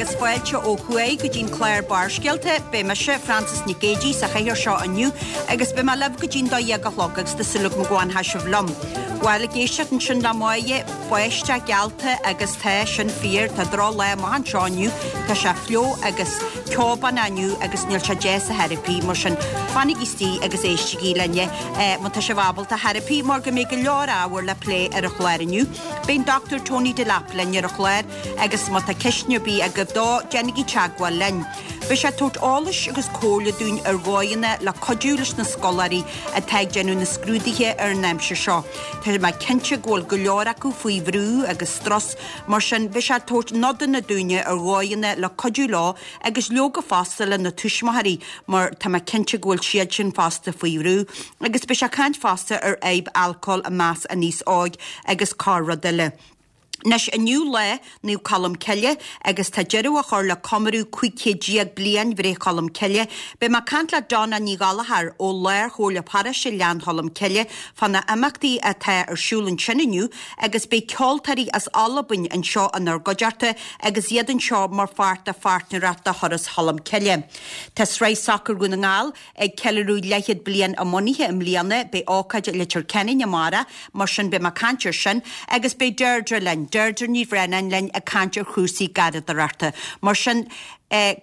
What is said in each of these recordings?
agus fáilte ó thuaidh go dtí'n clár Barrscéalta. Beidh mise, Frances Nic Géadaigh, sa chathaoir seo inniu agus beidh mé libh go dtí'n 12 a chlog agus tá súil agam go bhfanfaidh sibh liom. Bhuel, ag éisteacht ansin le Máire, báisteach geallta agus tá sin fíor, tá droch lá amach anseo inniu, tá sé fliuch agus ceobánach inniu agus níl sé deas ar chor ar bith, mar sin fanaigí istigh agus éistigí linne má tá sibh ábalta ar chor ar bith mar go mbeidh go leor ábhar le plé ar an chlár inniu. Beidh an Dr Tony Delap linn ar an chlár agus má tá ceisteanna ar bith agaibh dó, déanaigí teagmháil linn. Beidh sé ag tabhairt eolais agus comhairle dúinn ar dhóigheanna le cuidiú leis na scoláirí atá ag déanamh na scrúduithe ar an aimsir seo. Tá mé cinnte go bhfuil go leor acu faoi bhrú agus strus, mar sin beidh sé ag tabhairt nodanna dúinne ar dhóigheanna le cuidiú leo agus leoga fosta le na tuismitheoirí mar tá mé cinnte go bhfuil siad sin fosta faoi bhrú. Agus beidh sé ag caint fosta ar fhadhb alcóil i measc an aos óig agus corr rud eile. Anois, inniu lá Naomh Colm Cille agus tá deireadh á chur le comóradh 15 chéad bliain bhreith Cholm Cille. Beidh mé ag caint le Donna Ní Ghallchóir ó Lár-Chomhairle Paróiste Ghleann Cholm Cille fá na imeachtaí atá ar siúl ansin inniu agus beidh ceoltóirí as Albain anseo inár gcuideachta agus iad anseo mar pháirt de pháirtnéireacht de Thuras Cholm Cille. Tá Sraith Sacair Dhún na nGall Ag ceiliúradh leathchéad bliain a mbunaithe i mbliana, beidh ócáid i Leitir Ceanainn amárach, mar sin beidh mé ag caint ar sin, agus beidh Deirdre linn, Deirdre Ní Bhraonáin linn ag caint ar chúrsaí garraíodóireachta. Mar sin,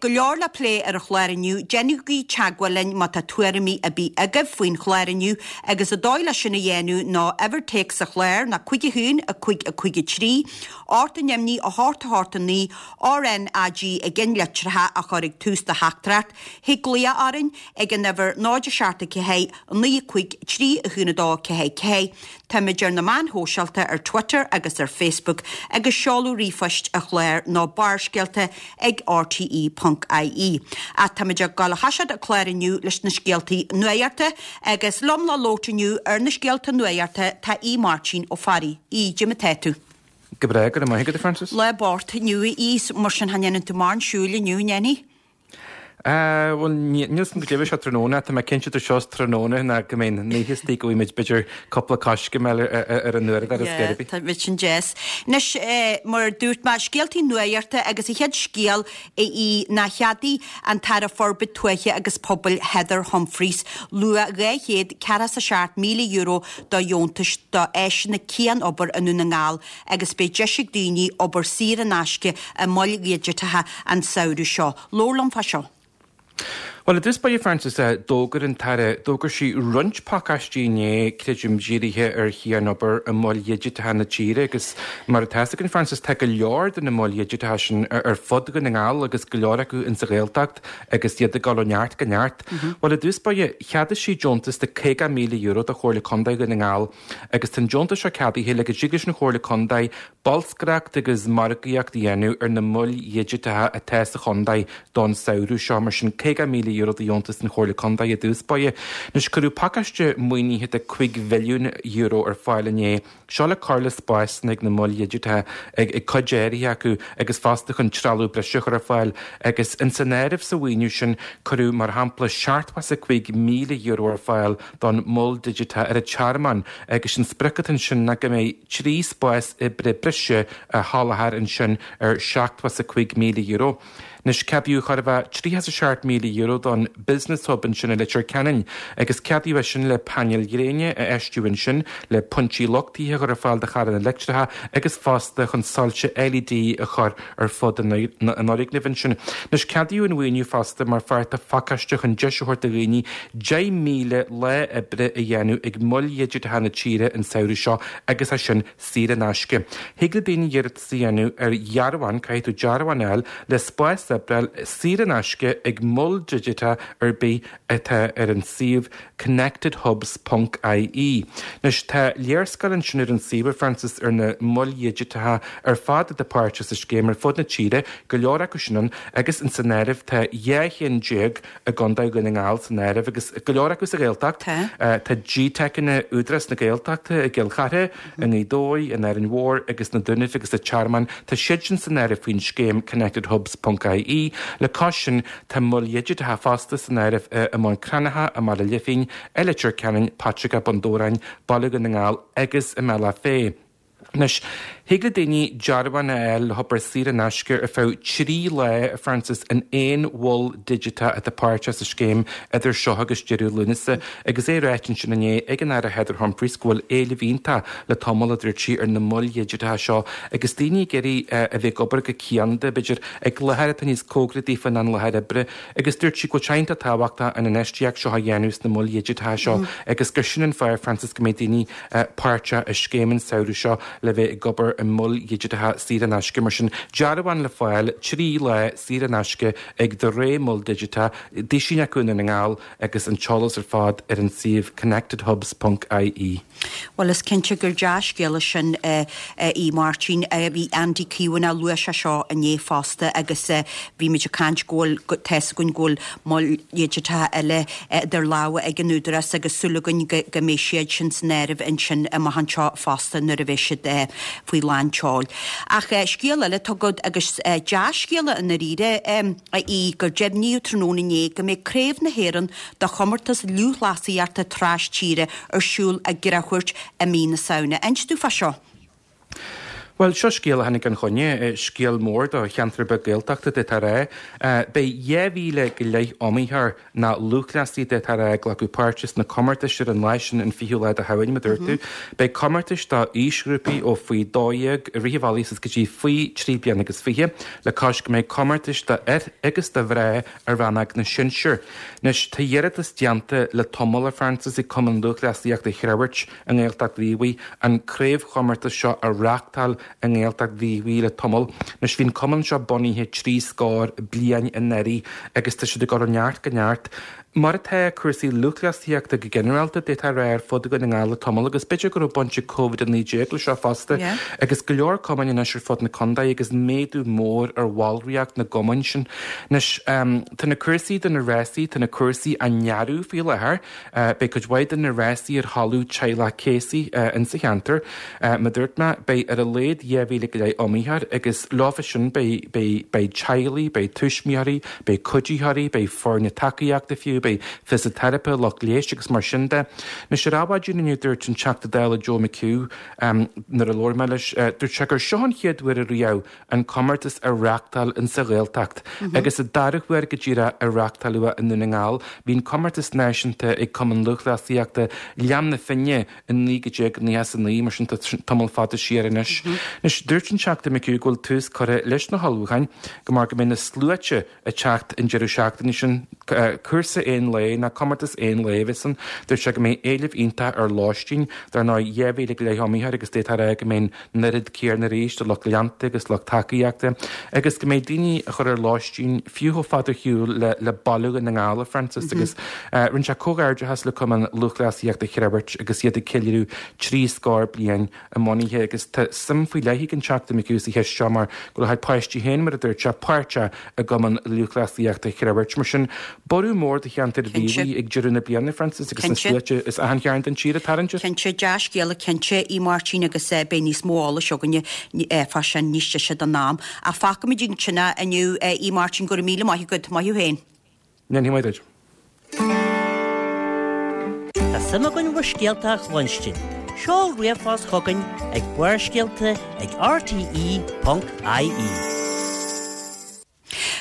go leor le plé ar an chlár inniu, déanaigí teagmháil linn má tá tuairimí ar bith agaibh faoin chlár inniu agus an dóigh le sin a dhéanamh ná uimhir téacs an chláir ná 5 1 5 5 3 8 9 8 8 9 RnaG i gceannlitreacha a chur ag tús do theachtaireacht. Thig glaoch orainn ag an uimhir 0 7 4 9 5 3 1 2 4 4. Táimid ar na meáin shóisialta ar Twitter agus ar Facebook agus seoladh ríomhphoist an chláir ná barrscéalta ag rte ponc ie. Ach táimid ag dul a thoiseacht an clár inniu leis na scéaltaí nuachta agus liom le labhairt inniu ar na scéalta nuachta tá Aodh Máirtín Ó Fearraigh. Aodh, cad é mar atá tú? Go breá, go raibh maith agat a Frances. Lá bocht inniu a Aoidh, mar sin cha ndéanann tú mórán siúil inniu, an ndéanfaidh? Bhuel, níl 'fhios a'm goidé a bheidh sé tráthnóna, tá mé cinnte idir seo is tráthnóna ná go mbeidh an oíche istigh go bhfaighidh muid b'fhéidir cúpla coiscéim eile ar an uaireadóir is gurb. Tá bheadh sin deas. Anois, mar a dúirt mé, scéaltaí nuachta agus an chéad scéal a Aoidh ná cheadaigh an tAire Forbartha Tuaithe agus Pobail Heather Humphreys luach €247,000 do dheontais do áiseanna cian-obair i nDún na nGall agus beidh deis ag daoine obair saor in aisce i moil dhigiteacha an samhradh seo. Labhair liom fá seo. Bhuel, i dtús báire, Frances, d'fhógair an tAire, d'fhógair sí roinnt pacáistí inné, creidim, dírithe ar chian-obair i moil dhigiteacha na tíre agus mar atá 'fhios againn, Frances, tá go leor de na moil dhigiteacha sin ar fud Dhún na nGall agus go leor acu insa Ghaeltacht agus iad ag dul ó neart go neart. Bhuel, i dtús báire, cheadaigh sí deontas de €50,000 do Chomhairle Contae Dhún na nGall Agus tá an deontas seo ceadaithe le go dtig leis an Chomhairle Contae bolscaireacht agus margaíocht a dhéanamh ar na moil dhigiteacha atá sa chontae don samhradh seo. Mar sin, €50,000 de dheontas don Chomhairle Contae i dtús báire. Anois, cuireadh pacáiste maoinithe de €5 mhilliún ar fáil inné. Seo le cur le spásanna ag na moil dhigiteacha ag cuid áirithe acu agus fosta chun trealamh breise a chur ar fáil. Agus ins an áireamh sa mhaoiniú sin, cuireadh, mar shampla, €75,000 ar fáil don mhol digiteach ar an Tearmann agus an sprioc atá ansin ná go mbeidh 3 spás oibre breise á sholáthar ansin ar €75,000. Anois ceadaíodh chóir a bheith €37,000 don Business Hub ansin i Leitir Ceanainn agus ceadaíodh é sin le painéil ghréine a fheistiú ansin, le pointí luchtaithe a chur ar fáil do charranna leictreacha agus fosta chun soilse LED a chur ar fud an fhoirgnimh ansin. Anois, ceadaíodh an mhaoiniú fosta mar pháirt de phacáiste chun deis a thabhairt do dhaoine 10,000 lá oibre a dhéanamh ag moil dhigiteacha na tíre an samhradh seo agus é sin saor in aisce. Thig le daoine iarratas a dhéanamh ar dhearbhán, caithfidh tú dearbhán a fháil, le spás oibre a fháil saor in aisce ag mol digiteach ar bith atá ar an suíomh connectedhubs ponc ie. Anois, tá léarscáil ansin ar an suíomh, a Frances, ar na moil dhigiteacha ar fad atá páirteach sa scéim ar fud na tíre, go leor acu sin ann, agus ins an áireamh tá 12 cheann i gContae Dhún na nGall san áireamh, agus go leor acu sa Ghaeltacht. Tá GTeiceanna Údarás na Gaeltachta i gCill Chartha, i nGaoth Dobhair, in Árainn Mhór agus sna Dúnaibh agus sa Tearmann, tá siad sin san áireamh faoin scéim connectedhubs ponc ie. Le cois sin, tá moil dhigiteacha fosta san áireamh i mBun Cranncha, i mBaile Lifín, i Leitir Ceanainn, Paiteagó, Bun Dobhráin, Baile Dhún na nGall agus i mBealach Féich. Anois, Thig le daoine dearbhán a fháil le hobair saor in aisce ar feadh 3 lá, a Frances, in aon mhol digiteach atá páirteach sa scéim idir seo agus deireadh Lúnasa. Agus é ráite ansin inné ag an Aire Heather Humphreys go bhfuil éileamh iontach le tamall, a dúirt sí, ar na moil dhigiteacha seo agus daoine ag iarraidh a bheith ag obair go cianda, b'fhéidir, ag láthair atá níos cóngaraí daofa ná an láthair oibre. Agus dúirt sí go bhfuil sé iontach tábhachtach an infheistíocht seo a dhéanamh sna moil dhigiteacha seo agus gur sin an fáth, Frances, go mbeidh daoine páirteach i scéim an samhradh seo le bheith ag obair i moil dhigiteacha saor in aisce. Mar sin, dearbhán le fáil, 3 lá saor in aisce ag do rogha mol digiteach, duisín acu i nDún na nGall agus an t-eolas ar fad ar an suíomh connectedhubs ponc ie. Bhuel, is cinnte gur dea-scéala sin a Mháirtín. Bhí Andy Keown, luaigh sé seo inné fosta agus bhí muid ag caint go bhfuil, tá's againn go bhfuil moil dhigiteacha eile idir lámha ag an Údarás agus súil againn go mbeidh siad sin san áireamh ansin amach anseo fosta nuair a bheidh siad faoi lán tseoil. Ach scéal eile atá agat agus dea-scéala i ndáiríre a Aoidh, gur deimhníodh tráthnóna inné go mbeidh Craobh na hÉireann do chomórtas lúthchleasaíochta tras-tíre ar siúl i gCreamhghort i mí na Samhna. Inis domh fá seo. Bhuel, seo scéal a tháinig gan choinne, scéal mór do cheantar beag Gaeltachta, d'fhéadfá a rá. Beidh 2,000 go leith iomaitheoir ná lúthchleasaí, d'fhéadfá a rá, ag glacadh páirte sna comórtais ar an lá sin, an 20ú lá de Shamhain, mar a dúirt tú. Beidh comórtais do aoisghrúpaí ó faoi 12 i rith an bhealaigh suas go dtí faoi 3 bliana agus fiche, le cois go mbeidh comórtais do fhir agus do mhná i rannóg na sinsear. Anois, tá iarratas déanta le tamall, a Frances, ag Cumann Lúthchleasaíochta Chreamhairt i nGaeltacht Mhíobhaigh an craobhchomórtas seo a reáchtáil i nGaeltacht Mhíobhaigh le tamall. Anois, bhí an cumann seo bunaithe trí scór bliain anuraidh agus tá siad ag dul ó neart go neart. Mar atá cúrsaí lúthchleasaíochta go ginearálta, d'fhéadfá a rá, ar fud Dhún na nGall le tamall agus b'fhéidir go raibh baint ag Covid-19 le seo fosta agus go leor cumainn anois ar fud na contae agus méadú mór ar bhallraíocht na gcumainn sin. Anois, tá na cúrsaí do na rásaí, tá na cúrsaí á ndearadh faoi láthair. Beidh cuid mhaith de na rásaí ar thalamh teaghlach Casey insa cheantar. Mar a dúirt mé, beidh ar a laghad 2,000 go leith iomaitheoir agus leofa sin beidh, beidh, beidh teaghlaigh, beidh tuismitheoirí, beidh cuiditheoirí, beidh foirne tacaíochta fiú, beidh fisiteiripe, lucht leighis agus mar sin de. Anois ar Adhmhaidin inniu dúirt an Teachta Dála Joe McHugh nuair a labhair mé leis, dúirt sé gur seo an chéad uair ariamh an comórtas a reáchtáil insa Ghaeltacht agus an dara huair go díreach a reáchtáladh i nDún na nGall. Bhí an comórtas náisiúnta ag Cumann Lúthchleasaíochta Liam na Finne i 1999, mar sin tá tamall fada siar anois. Anois, dúirt an Teachta McHugh go bhfuil tús curtha leis na hullmhúcháin go mar go mbeidh na sluaite ag teacht an deireadh seachtaine sin. Cúrsa aon lae ná comórtas aon lae a bheas ann. Dúirt sé go mbeidh éileamh iontach ar lóistín. Dar ndóigh, 2,000 go leith iomaitheoir agus d'fhéadfá a rá go mbeidh an oiread céanna arís de lucht leanta agus lucht tacaíochta agus go mbeidh daoine a chur ar lóistín fiú chomh fada ar shiúl le le baile Dhún na nGall, a Frances, agus rinne sé comhghairdeachas le Cumann Lúthchleasaíochta Chreamhairt agus iad ag ceiliúradh trí scór bliain a mbunaithe agus tá suim faoi leith ag an Teachta McHugh sa cheist seo mar go bhfuil a chuid páistí féin, mar a dúirt sé, páirteach i gCumann Lúthchleasaíochta Chreamhairt. Mar sin, borradh mór do cheantar Mhíobhaigh ag deireadh na bliana, Frances, agus na sluaite as achan chearn den tír ag tarraingt air. Cinnte, dea-scéala cinnte í Máirtín agus beidh níos mó eolais againne fá sin níos deise don am. Ach fágfaimid ansin é inniu í Máirtín, go raibh míle maith agat, maith thú féin. Ndéanfaidh mé duit. Tá suim againn bhur scéalta a chluinstin. Seol ríomhphost chugainn ag barrscéalta ag rte.ie.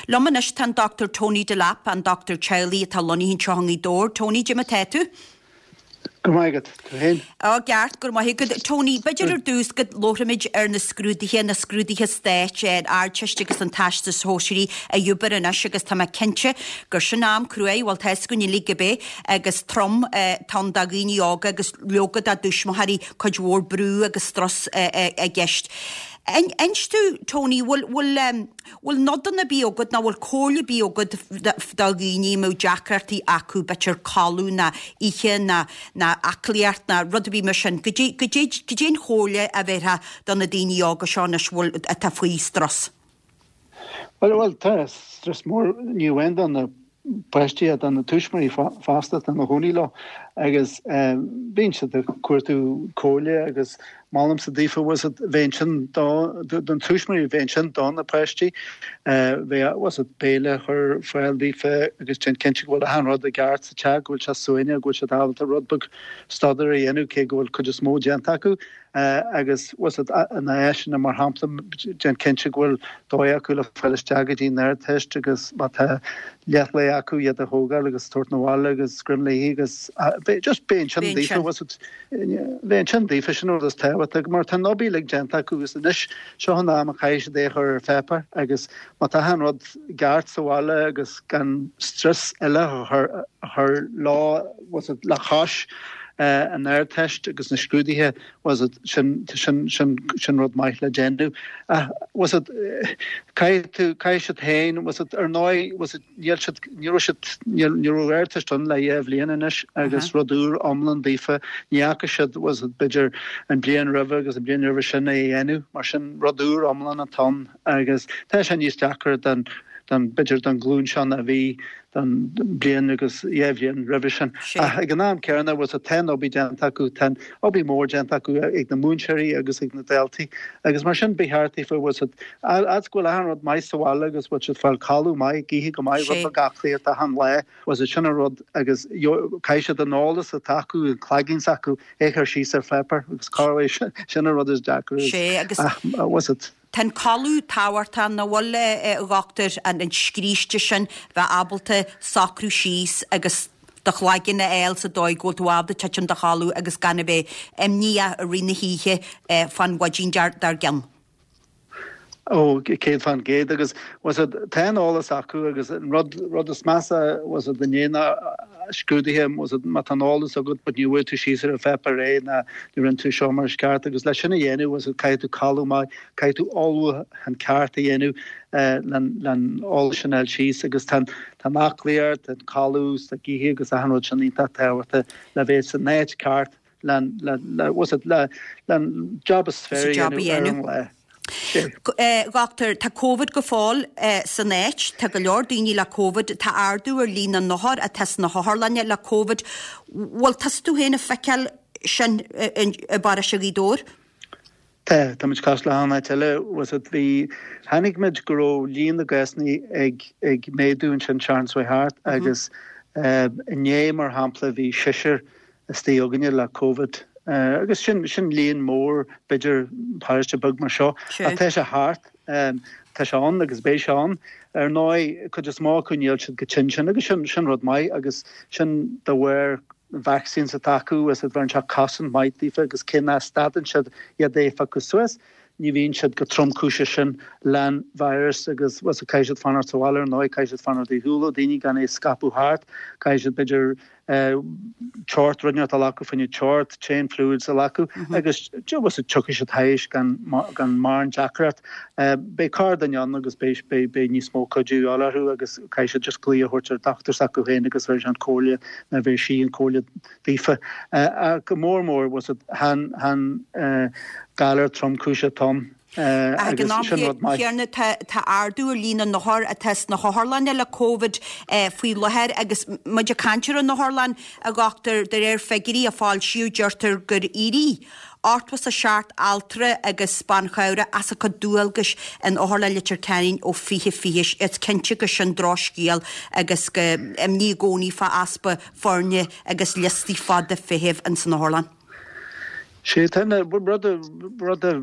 Liom anois tá an Dr Tony Delap, an dochtúir teaghlaigh atá lonnaithe anseo i nGaoth Dobhair. Tony, cad é mar atá tú? Go maith agat, tú féin? Á, ceart, go raibh maith agat. Tony, b'fhéidir ar dtús go labharfaimid ar na scrúduithe, na scrúduithe stáit, an Ardteist agus an Teastas Shóisearaigh ar obair anois agus tá mé cinnte gur sin am cruaidh, bhuel tá fhios againn uilig gurb é, agus trom atá ann do dhaoine óga agus leoga dá dtuismitheoirí, cuid mhór brú agus strus i gceist. Inis domh, Tony, bhfuil, bhfuil, Bhfuil nodanna ar bith agat nó bhfuil comhairle ar bith agat do dhaoine a mbeadh deacrachtaí acu, b'fhéidir codladh ná ithe ná ná aclaíocht ná rud ar bith mar sin. Goidé goidé goidé an chomhairle a bhéarfá do na daoine óga seo anois bhfuil atá faoi strus? Bhuel bhuel tá strus mór ní amháin do na páistí ach do na tuismitheoirí fosta atá ina gcónaí leo. Agus bíonn siad ag cuartú comhairle agus molaimse daofa, bhfuil 's agat, bheith ansin do, don tuismitheoirí, bheith ansin do na páistí, bheith, bhfuil 's agat, béile a chur ar fáil daofa agus déanamh cinnte go bhfuil achan rud i gceart sa teach, go bhfuil sé suaimhneach, go bhfuil siad ábalta rud beag staidéir a dhéanamh cé go bhfuil cuid is mó déanta acu. Agus bhfuil 's agat, na áiseanna mar shampla, déan cinnte go bhfuil dóigh acu le fáil isteach go dtí an Ardteist agus má tá leathlae acu iad a thógáil agus tabhairt 'na bhaile agus scream léi agus just bheith ansin daofa, bhfuil 's agat, bheith ansin daofa, sin an rud is tábhachtaí mar tá an obair uilig déanta acu agus anois seo an am a chaithfidh siad é a chur ar pháipéar agus má tá achan rud ceart sa bhaile agus gan strus eile a chur leo, bhfuil 's agat, le cois an Ardteist agus na scrúduithe, bhfuil 's agat, sin, sin, sin, sin rud maith le déanamh. Ach, bhfuil 's agat, caithfidh tú, caithfidh siad féin, bhfuil 's agat, ar ndóigh, bhfuil 's agat, níl siad, ní raibh siad, níl, ní raibh Ardteist ann le dhá bhliain anois agus rud úr iomlán daofa, ní fhaca siad, bhfuil 's agat, b'fhéidir an bliain roimhe agus an bliain roimhe sin é a dhéanamh, mar sin rud úr iomlán atá ann agus tá sé níos deacra don, don, b'fhéidir don ghlúin seo ná a bhí don bliain agus dhá bhliain roimhe sin. Ach ag an am céanna, bhfuil 's agat, tá an obair déanta acu, tá an obair mhór déanta acu ag na múinteoirí agus ag na daltaí agus mar sin ba cheart daofa, bhfuil 's agat, fhad is go bhfuil achan rud maith sa bhaile agus bhfuil siad ag fáil codladh maith, ag ithe go maith, rud beag aclaíocht achan lá, bhfuil 's agat, sin an rud agus caithfidh siad an eolas atá acu, an cloigeann s'acu, é a chur síos ar pháipéar agus corruair sin an rud is deacra agus, bhfuil 's agat. Tá an codladh tábhachtach, nach bhfuil, a dhochtúir, an scríste sin, bheith ábalta socrú síos agus do chloigeann a fháil sa dóigh go bhfuil tú ábalta titim i do chodladh agus gan a bheith imníoch i rith na hoíche fán mhaidin dár gcionn. Ó, 100% agus bhfuil 's agat, tá an eolas acu agus an rud, rud is measa, bhfuil 's agat, i ndiaidh na scrúduithe, bhfuil 's agat, má tá an eolas agat but ní bhfuair tú síos ar an pháipéar é ná ní rinne tú seo mar is ceart agus leis sin a dhéanamh, bhfuil 's agat, caithfidh tú codladh maith, caithfidh tú ullmhúchán ceart a dhéanamh len eolas sin a fháil síos agus tá an aclaíocht, an codladh, is ag ithe agus achan rud sin iontach tábhachtach le bheith san áit ceart len, le, le, bhfuil 's agat, le, len job is fearr a dhéanamh ar an lá. A dhochtúir, tá Covid go fóill san áit, tá go leor daoine le Covid, tá ardú ar líon na n-othar atá sna hotharlanna le Covid. Bhfuil tusa tú féin ag feiceáil sin i bparóiste Ghaoth Dobhair? Tá, tá muid cosúil le achan áit eile, bhfuil 's agat, bhí, chonaic muid go raibh líon na gcásanna ag, ag méadú ansin seachtain seo thart agus inné mar shampla bhí seisear istigh againne le Covid agus sin, sin líon mór b'fhéidir paróiste beag mar seo ach tá sé thart, tá sé ann agus beidh sé ann. Ar ndóigh, cuid is mó acu níl siad chomh tinn sin agus sin, sin rud maith agus sin de bharr vaccines atá acu is a bheireann sé cosaint maith daofa agus cé nach stadann siad iad é a phiocadh suas, ní bhíonn siad chomh tromchúiseach sin len virus agus bhfuil 's agat caithfidh siad fanacht sa bhaile ar ndóigh, caithfidh siad fanacht ar shiúl ó daoine gan é a scaipeadh thart, caithfidh siad b'fhéidir teocht, rud inteacht a ghlacadh fá choinne teocht, téann fluids a ghlacadh agus bhfuil 's agat tiocfaidh siad thaís gan gan mórán deacracht. Beidh corrdhuine ann agus beidh beidh beidh níos mó cuidiú a fháil orthu agus caithfidh siad just glaoch a thabhairt ar dochtúir s'acu féin agus bheir sé an comhairle nó bheir sí an comhairle daofa. Ach go mór mór bhfuil 's agat chan chan galar tromchúiseach atá ann. Ach ag an am céanna tá ardú ar líon na n-othar atá sna hotharlanna le Covid faoi láthair agus muid ag caint ar an otharlann, a dhochtúir, de réir figiúirí a foilsíodh deirtear gur éirigh 87 altra agus bean chabhrach as a gcuid dualgais in Otharlann Leitir Ceanainn ó 2020. Is cinnte gur sin drochscéal agus go imní i gcónaí fá easpa foirne agus liostaí fada feithimh ins an otharlann. Sé tá na rud a rud a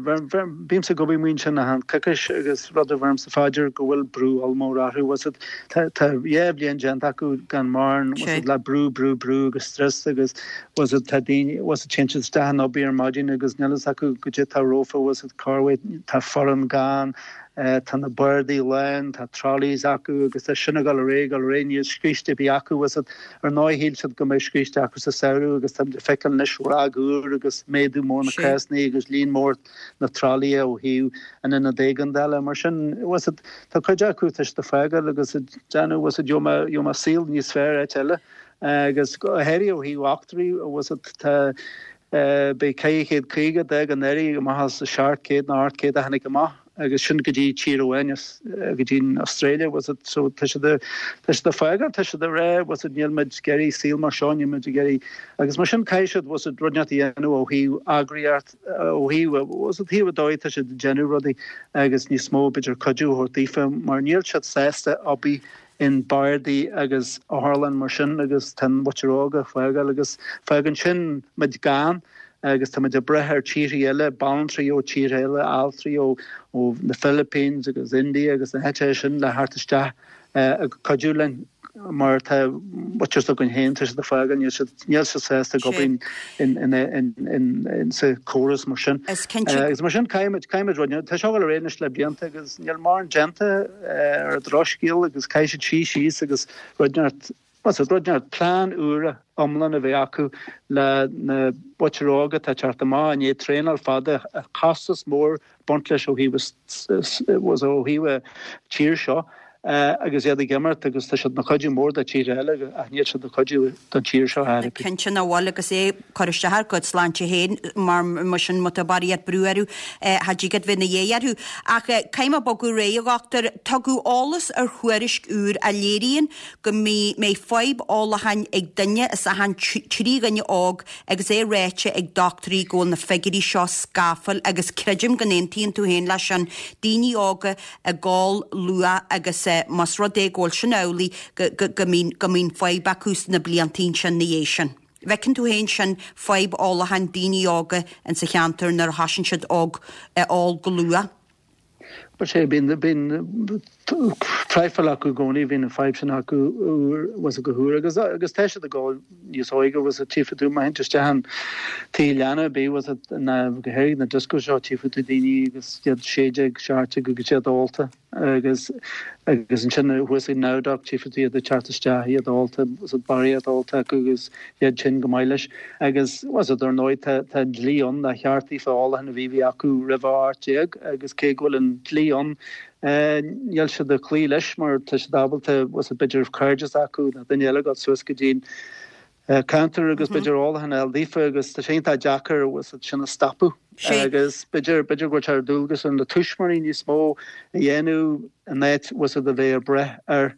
bímse ag obair amuigh ansin achan coicís agus rud a bheirimse fá dear go bhfuil brú ollmhór orthu bhfuil 's agat tá tá dhá bhliain déanta acu gan mórán bhfuil 's agat le brú brú brú agus stress agus bhfuil 's agat tá daoine bhfuil 's agat téann siad isteach an obair ar maidin agus níl fhios acu goidé tá rompu bhfuil 's agat corruair tá foireann gann Tá na bardaí lán, tá trolleys acu agus tá sin ag dul ar aghaidh, ag dul ar aghaidh, níl scríste ar bith acu. Bhfuil 's agat, ar ndóigh shíl siad go mbeadh scríste acu sa samhradh agus táimid ag feiceáil anois ráig úr agus méadú mór na cásanna agus líon mór na trolaithe ó thaobh an ionad éigeandála. Mar sin, bhfuil 's agat, tá cuid acu, tá siad ag fágáil agus ag déanamh, bhfuil 's agat, gheobhaidh mé saol níos fearr áit eile. Agus go háirithe ó thaobh altraí, bhfuil 's agat, tá, beidh 450 a d'fhág anuraidh amach as 700 nó 800 a tháinig amach. agus sin go dtí tír amháin go dtí an Australia bhfuil 's agat so tá siad a tá siad ag fágáil tá siad ag rá bhfuil 's agat níl muid ag iarraidh saol mar seo níl muid ag iarraidh agus mar sin caithfidh siad bhfuil 's agat rud inteacht a dhéanamh ó thaobh eagraíocht ó thaobh bhfuil 's agat thaobh an dóigh tá siad ag déanamh rudaí agus níos mó b'fhéidir cuidiú a thabhairt daofa mar níl siad sásta obair in bardaí agus otharlann mar sin agus tá an mhuintir óg ag fágáil agus fágann sin muid gann agus tá muid ag brath ar tíortha eile, banaltraí ó tíortha eile, altraí ó na Philippines agus India agus na háiteacha sin le theacht isteach ag cuidiú linn mar tá muintir s'againn féin, tá siad ag fágáil, níl siad, níl siad sásta ag obair in sa chóras mar sin. Is cinnte. Agus mar sin caithfimid, caithfimid rud, tá seo ag dul ar aghaidh anois le blianta agus níl mórán déanta ar an drochscéal agus caithfidh siad suí síos agus rud inteacht, bhfuil 's agat, rud inteacht, plean úr iomlán a bheith acu le na muintir óg atá ag teacht amach i ndiaidh traenáil fada, costas mór baint leis ó thaobh ó thaobh an tír seo agus iad ag imirt agus tá siad ina cuidiú mór do tíortha eile ach níl siad ina cuidiú don tír seo ar bith. Cinnte nach bhfuil agus é ag cur isteach ar a gcuid sláinte féin mar mar sin má tá barraíocht brú orthu cha dtig leat bheith ina dhiaidh orthu. Ach caithfidh mé bogadh ar aghaidh a dhochtúir, tugadh eolas ar thuairisc úr a léiríonn go mbeidh fadhb ólacháin ag duine as achan 3 dhuine óg Agus é ráite ag dochtúirí go bhfuil na figiúirí seo scafaill agus creidim go n-aontaíonn tú féin leis sin, daoine óga ag ól luath agus más rud é go bhfuil sin amhlaidh go go mbíonn go mbíonn fadhb acu sna blianta ansin na dhiaidh sin. Bhfeiceann tú féin sin, fadhb ólacháin daoine óga insa cheantar nuair a thosaíonn siad óg ag ól go luath? Bhuel sea, bíonn, bíonn traidhfil acu i gcónaí, bíonn an fadhb sin acu uair, bhfuil 's agat go huair agus, agus tá siad ag ól níos óige, bhfuil 's agat, tchífidh tú, má théann tú isteach in tigh leanna ar bith, bhfuil 's agat, ná go háirithe na discos seo, tchífidh tú daoine agus iad 16, 17 agus iad ólta agus, agus ansin thuas ag Nowdoc tchífidh tú iad ag teacht isteach, iad ólta, bhfuil 's agat, barraíocht ólta acu agus iad tinn go maith leis. Agus, bhfuil 's agat, ar ndóigh, tá, tá an dlí ann nár cheart daofa ólachán a bhí, bhí acu roimh a 18 agus cé go bhfuil an dlí ann, níl siad ag cloí leis mar tá siad ábalta, bhfuil 's agat, b'fhéidir cairde s'acu nó duine eile ag dul suas go dtí an counter agus b'fhéidir ólachán a fháil daofa agus tá sé iontach deacair, bhfuil 's agat, sin a stopadh. Agus b'fhéidir, b'fhéidir go bhfuil sé ar dualgas ar na tuismitheoirí níos mó a dhéanamh in áit, bhfuil 's agat, a bheith ag brath ar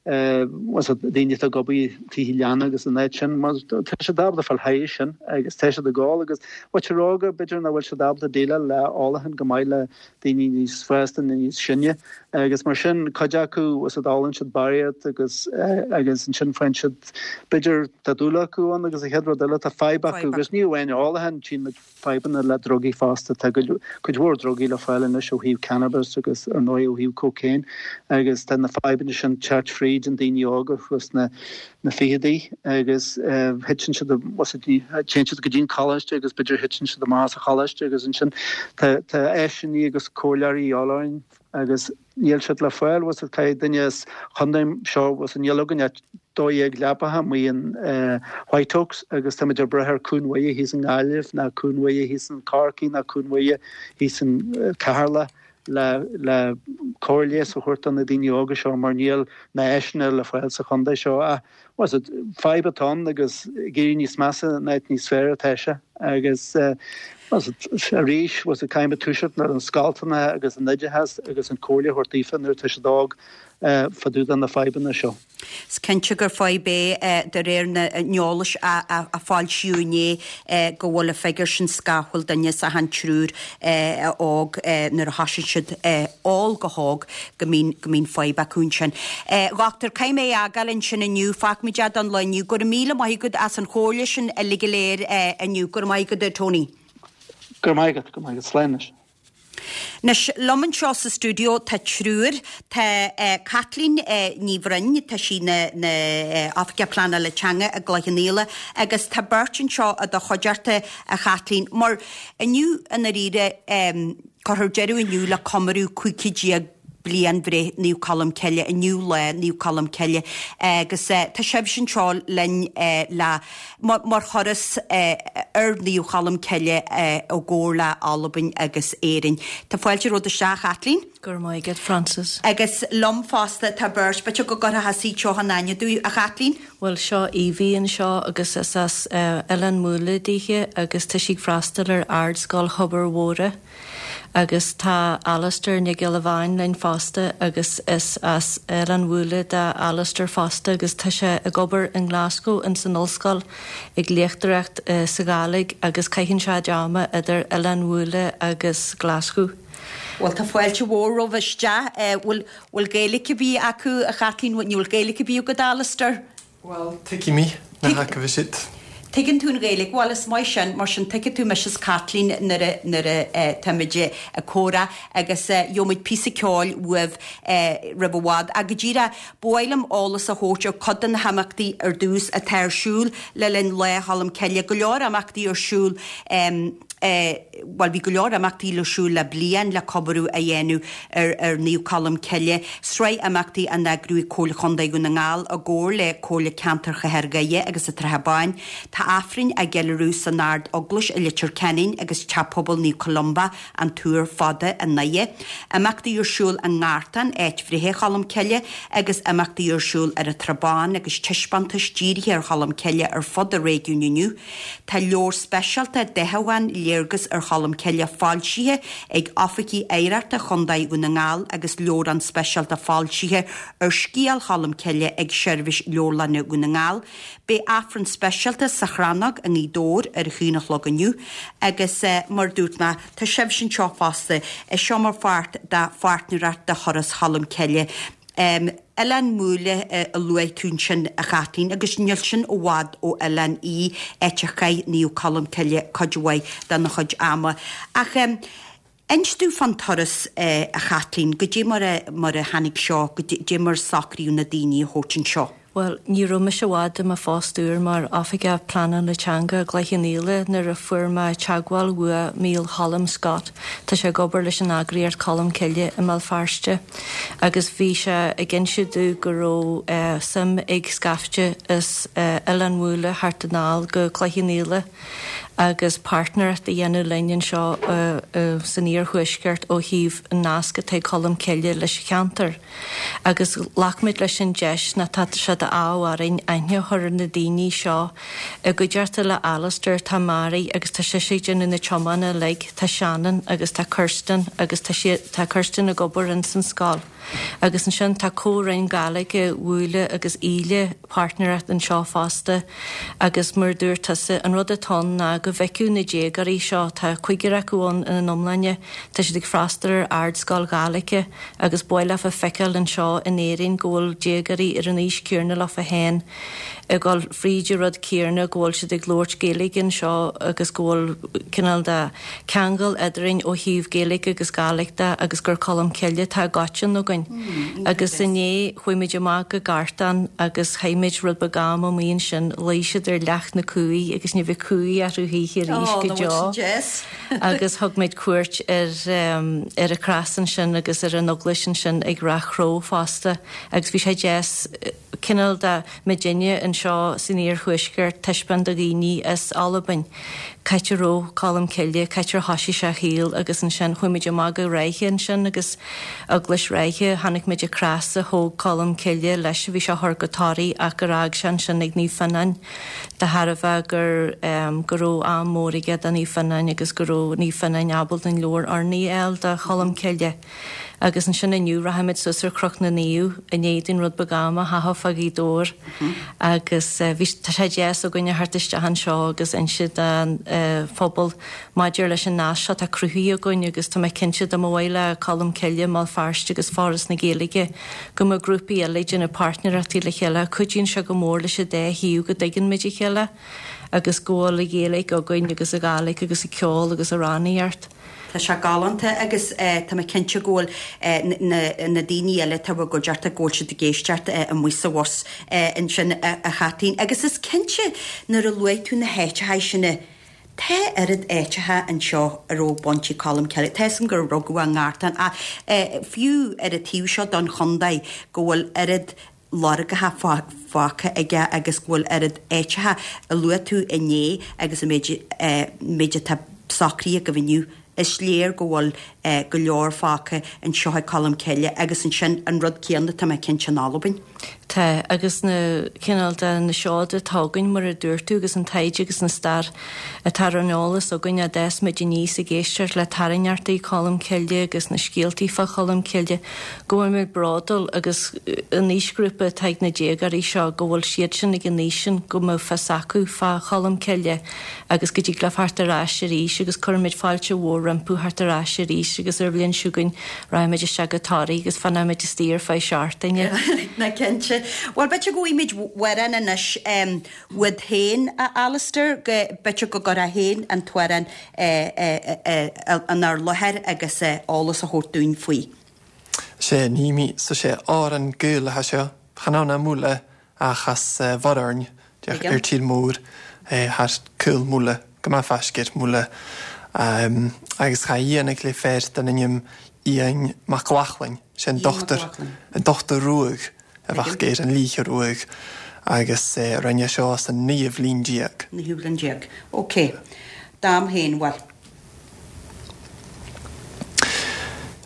bhfuil 's agat, daoine atá ag obair i dtithe leanna agus an áit sin, mar tá siad ábalta fáil thairis sin agus tá siad ag ól agus muintir óga, b'fhéidir nach bhfuil siad ábalta déileáil le ólachán go maith le daoine níos fásta nó níos sine agus mar sin cuid acu, bhfuil 's agat, ólann siad barraíocht agus agus ansin faigheann siad, b'fhéidir tá dúil acu ann agus an chéad rud eile tá fadhb acu agus ní amháin ólachán, tchíonn muid fadhbanna le drugaí fosta. Tá cuid mhór drugaí le fáil anois ó thaobh cannabis agus ar ndóigh ó thaobh cocaine agus tá na fadhbanna sin teacht fríd an daoine óga thuas sna na ficheadaí agus thiteann siad téann siad go dtí an coláiste agus b'fhéidir thiteann siad amach as an choláiste agus ansin tá tá áiseanna agus comhairleoirí de dhíobháil orainn agus níl siad le fáil, bhfuil 's agat, caithfidh duine as chontae seo, bhfuil 's agat, níl againn ach 12 leapacha amuigh in White Oaks agus táimid ag brath ar Cuan Mhuire thíos i nGaillimh ná Cuan Mhuire thíos in Corcaigh ná Cuan Mhuire thíos in Ceatharlach le le cóir leighis a thabhairt do na daoine óga seo mar níl na áiseanna le fáil sa chontae seo ach bhfuil 's agat, fadhb atá ann agus ag éirí níos measa in áit níos fearr atá sé agus bhfuil 's agat, arís, bhfuil 's agat, caithfimid toiseacht ar an scoltanna agus an oideachas agus an comhairle a thabhairt daofa nuair atá siad óg fá dtaobh de na fadhbanna seo. Is cinnte gur fadhb é de réir na n-eolais a foilsíodh inné go bhfuil an figiúr sin scafaill, duine as achan triúr óg nuair a thosaíonn siad ól go hóg go mbíonn go mbíonn fadhb acu ansin. A dhochtúir, caithfidh mé é a fhágáil ansin inniu, fágfaimid é don lá inniu. Go raibh míle maith agat as an chomhairle sin uilig go léir inniu. Go raibh maith agat a Tony. Go raibh maith agat, go raibh maith agat. Slán anois. Anois, liom anseo sa stiúideo tá triúr. Tá Caitlín Ní Bhroin, tá sí ina Oifigeach Pleanála Teanga i gCloich Cheann Fhaola agus tá beirt anseo i do chuideachta, a Chaitlín, mar inniu i ndáiríre, cuirfear deireadh inniu le comóradh 15 chéad bliain bhreith Naomh Colm Cille, inniu lá Naomh Colm Cille agus tá sibhse anseo linn le mar thuras ar Naomh Cholm Cille i gcomhar le Albain agus Éirinn. Tá fáilte romhat isteach, a Chaitlín. Go raibh maith agat, Frances. Agus liom fosta tá beirt, b'fhéidir go gcuirfeá thusa in aithne dúinn, a Chaitlín? Bhuel, seo Evie anseo agus is as Oileán Mhuaile dithe agus tá sí ag freastal ar Ardscoil Thobar Mhóire. Agus tá Alastair Nic Giolla Bháin linn fosta agus is as Oileán Mhúille do Alastair fosta agus tá sé ag obair i nGlasgow ins an ollscoil ag léachtóireacht sa Ghàidhlig agus caitheann sé a chuid ama idir Oileán Mhúille agus Glaschú. Bhuel tá fáilte mhór romhaibh isteach. Bhfuil bhfuil Gaeilge ar bith acu a Chaitlín? Bhfuil Gaeilge ar bith agat Alastair? Bhuel, tuigim í, na haca siad. Tuigeann tú an Ghaeilge, bhuel is maith sin, mar sin tuigfidh tú mise is Caitlín nuair a, nuair a táimid ag comhrá agus gheobhaimid píosa ceoil uaibh roimh i bhfad. Ach go díreach, ba mhaith liom eolas a thabhairt ar cuid de na himeachtaí ar dtús atá ar siúl le linn Lá Cholm Cille. Go leor imeachtaí ar siúl. Bhuel, bhí go leor imeachtaí ar siúl le bliain le comóradh a dhéanamh ar ar Naomh Colm Cille, sraith imeachtaí á n-eagrú ag Comhairle Chontae Dhún na nGall i gcomhar le Comhairle Ceantair Chathair Dhoire agus an tSratha Báin. Tá Aifrinn á gceiliúradh san Ard Eaglais i Leitir Ceanainn agus Teach Pobail Naomh Columba, An Túr Fada i nDoire. Imeachtaí ar siúl i nGartán, áit bhreithe Cholm Cille, agus imeachtaí ar siúl ar an Trá Bhán agus taispeántais dírithe ar Cholm Cille ar fud an réigiúin inniu. Tá leabhar speisialta Dathúchán, Léargas ar Cholm Cille foilsithe ag Oifigigh Oidhreachta Chontae Dhún na nGall agus leabhrán speisialta foilsithe ar Scéal Cholm Cille ag Seirbhís Leabharlainne Dhún na nGall. Beidh Aifreann speisialta sa Chrannóg i nGaoth Dobhair ar a haon a chlog inniu agus mar a dúirt mé, tá sibhse anseo fosta, é seo mar pháirt de pháirtnéireacht de Thuras Cholm Cille. Oileán Mhúille a luaigh tú ansin, a Chaitlín, agus níl sin i bhfad ó Oileán Í, áit a chaith Naomh Colm Cille cuid mhaith dena chuid ama. Ach inis domh fán turas, a Chaitlín, goidé mar a mar a tháinig seo, goidé mar a socraíodh na daoine a thabhairt anseo. Bhuel, ní raibh mise i bhfad i mo phost úr mar Oifigeach Pleanála Teanga i gCloich Cheann Fhaola nuair a fuair mé teagmháil uaidh Mícheál Cholm Scott, tá sé ag obair leis an eagraíocht Colmcille i mBéal Feirste, agus bhí sé ag inse domh go raibh suim ag scaifte as Oileán Mhúille theacht anall go Cloich Cheann Fhaola agus páirtnéireacht a dhéanamh linn anseo san iarthuaisceart ó thaobh an nasc atá ag Colmcille leis an cheantar. Agus ghlac muid leis an deis nó tá sé d'ádh orainn aithne a chur ar na daoine seo. I gcuideachta le Alastair tá Mary agus tá sise ag déanamh na tiomána uilig, tá Shannon agus tá Kirsten agus tá siad, tá Kirsten ag obair ins an scoil. Agus ansin tá Comhroinn Gaeilge Mhúille agus Íle páirtnéireacht anseo fosta agus mar a dúirt tusa, an rud atá ann ná go bhfeicfeadh na déagóirí seo, tá cúigear acu ann ina n-iomláine, tá siad ag freastal ar ardscoil Ghaeilge, Agus ba mhaith leofa feiceáil anseo in Éirinn go bhfuil déagóirí ar an aois céarna leofa féin ag dul fríd an rud céarna, go bhfuil siad ag labhairt Gaeilge anseo agus go bhfuil cineál de ceangal eadrainn ó thaobh Gaeilge agus Gàidhlig de agus gur Colm Cille atá i gcoiteann againn. Agus inné chuaigh muid amach go Gartán agus chaith muid rud beag ama amuigh ansin, luigh siad ar leac na cumhaí agus ní bheidh cumhaí orthu choíche arís go deo. agus thug muid cuairt ar ar an chros ansin agus ar an eaglais ansin ag Ráth Chró fosta agus bhí sé deas cineál de muidinne anseo san iarthuaisceart taispeáint do dhaoine as Albain c'áit a raibh Colm Cille, c'áit ar thoisigh sé a shaol agus ansin chuaigh muid amach go Ráithe ansin agus eaglais Ráithe, chonaic muid an crois a thóg Colm Cille leis a bhí sé a chur go Toraigh ach gur fhág sé ansin ag Naomh Fionnán. de thairbhe gur go raibh am mór aige do Naomh Fionán agus go raibh Naomh Fionán ábalta an leabhar urnaí a fháil do Cholm Cille. Agus ansin inniu rachaimid suas ar Chnoc na Naomh i ndiaidh dúinn rud beag ama a chaitheamh fá Ghaoth Dobhair agus bhí tá sé deas againn a theacht isteach anseo agus inse don phobal maidir leis an nasc seo atá cruthaithe againn agus tá mé cinnte dá mba mhaith le Colm Cille i mBéal Feirste agus Foras na Gaeilge go mbeadh grúpaí eile ag déanamh páirtnéireachtaí le chéile. Cuidíonn sé go mór leis an dá thaobh go dtuigeann muid a chéile agus go bhfuil an Ghaeilge againn agus an Ghàidhlig agus an ceol agus amhránaíocht. Tá sé galánta agus tá mé cinnte go bhfuil na daoine eile atá i bhur gcuideachta go bhfuil siad ag éisteacht amuigh sa bhus ansin a Chaitlín. Agus is cinnte nuair a luaigh tú na háiteacha sin, Tá oiread áiteacha anseo a raibh baint ag Colm Cille. Tá 'fhios a'm gur rugadh é i nGartán ach fiú ar an taobh seo don chontae go bhfuil oiread lorgacha fágtha aige agus go bhfuil oiread áiteacha a luaigh tú inné agus an méid méid atá socraithe agaibh inniu. Is léir go bhfuil go leor fágtha anseo ag Colm Cille agus ansin an rud céanna tá mé cinnte in Albain. Tá, agus na cineál de na seoda atá againn, mar a dúirt tú, agus an taighde agus an stair atá ar an eolas againn, a d'fhás muid aníos ag éisteacht le tairngreachtaí Cholm Cille agus na scéaltaí fá Cholm Cille, go bhfuil muid bródúil agus an aoisghrúpa atá ag na déagóirí seo, go bhfuil siad sin ag an aois sin go mbeadh fios acu fá Cholm Cille agus go dtig leo theacht ar ais arís agus cuirfimid fáilte mhór rompu theacht ar ais arís agus ar an bhliain seo chugainn raghaimid isteach go Toraigh agus fanfaimid istigh ar feadh seachtaine. Ná cinnte. Bhuel, b'fhéidir go bhfaighimid amhrán anois uait féin, a Alistair, go, b'fhéidir go gcuirfeá féin an t-amhrán inár láthair agus eolas a thabhairt dúinn faoi. Sé, ní mí, so sé Árann Gaelaithe seo, chan ann a mbuaile ach as Mhuirfean, ar tír mór thar cúl Mhuile, go maith faiscir Mhuile, agus cha dhéanfaidh le fear den ainm Iain Mac Lachlainn, sé an dochtúir, an dochtúir ruadh a bheadh ar an Líthe Ruadh, agus rinne seo sa naoú bhliain déag. Naoú bhliain déag. Ok. Dam féin, bhuel.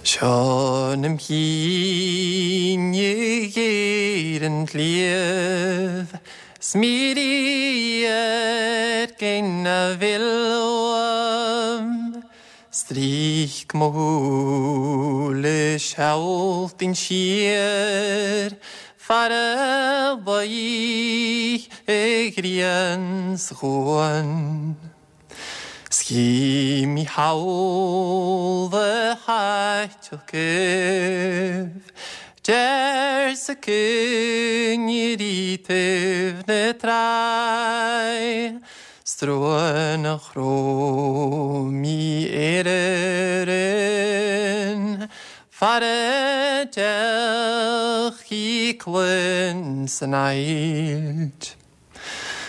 Seo 'na mhíne ghéar an tsliabh 's mí radharc na bhfuil uaim Stríoc mo shúile seoltainn siar far a luigh an ghrian sa chuan. 'S chí mí thall a thaiteadh goimh deir sa coinnir taobh na tráigh 's trua nach raibh mí ar an far a d'fhéach cluin san ailt.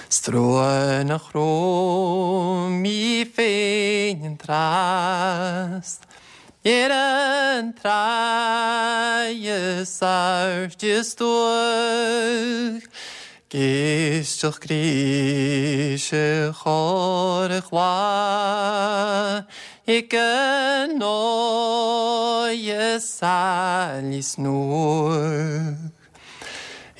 'S trua nach raibh mí féin an tráth ar an tráigh is airde stuaidh ag éisteacht gréise chorr ghlais ag an óighe sailí snuadh.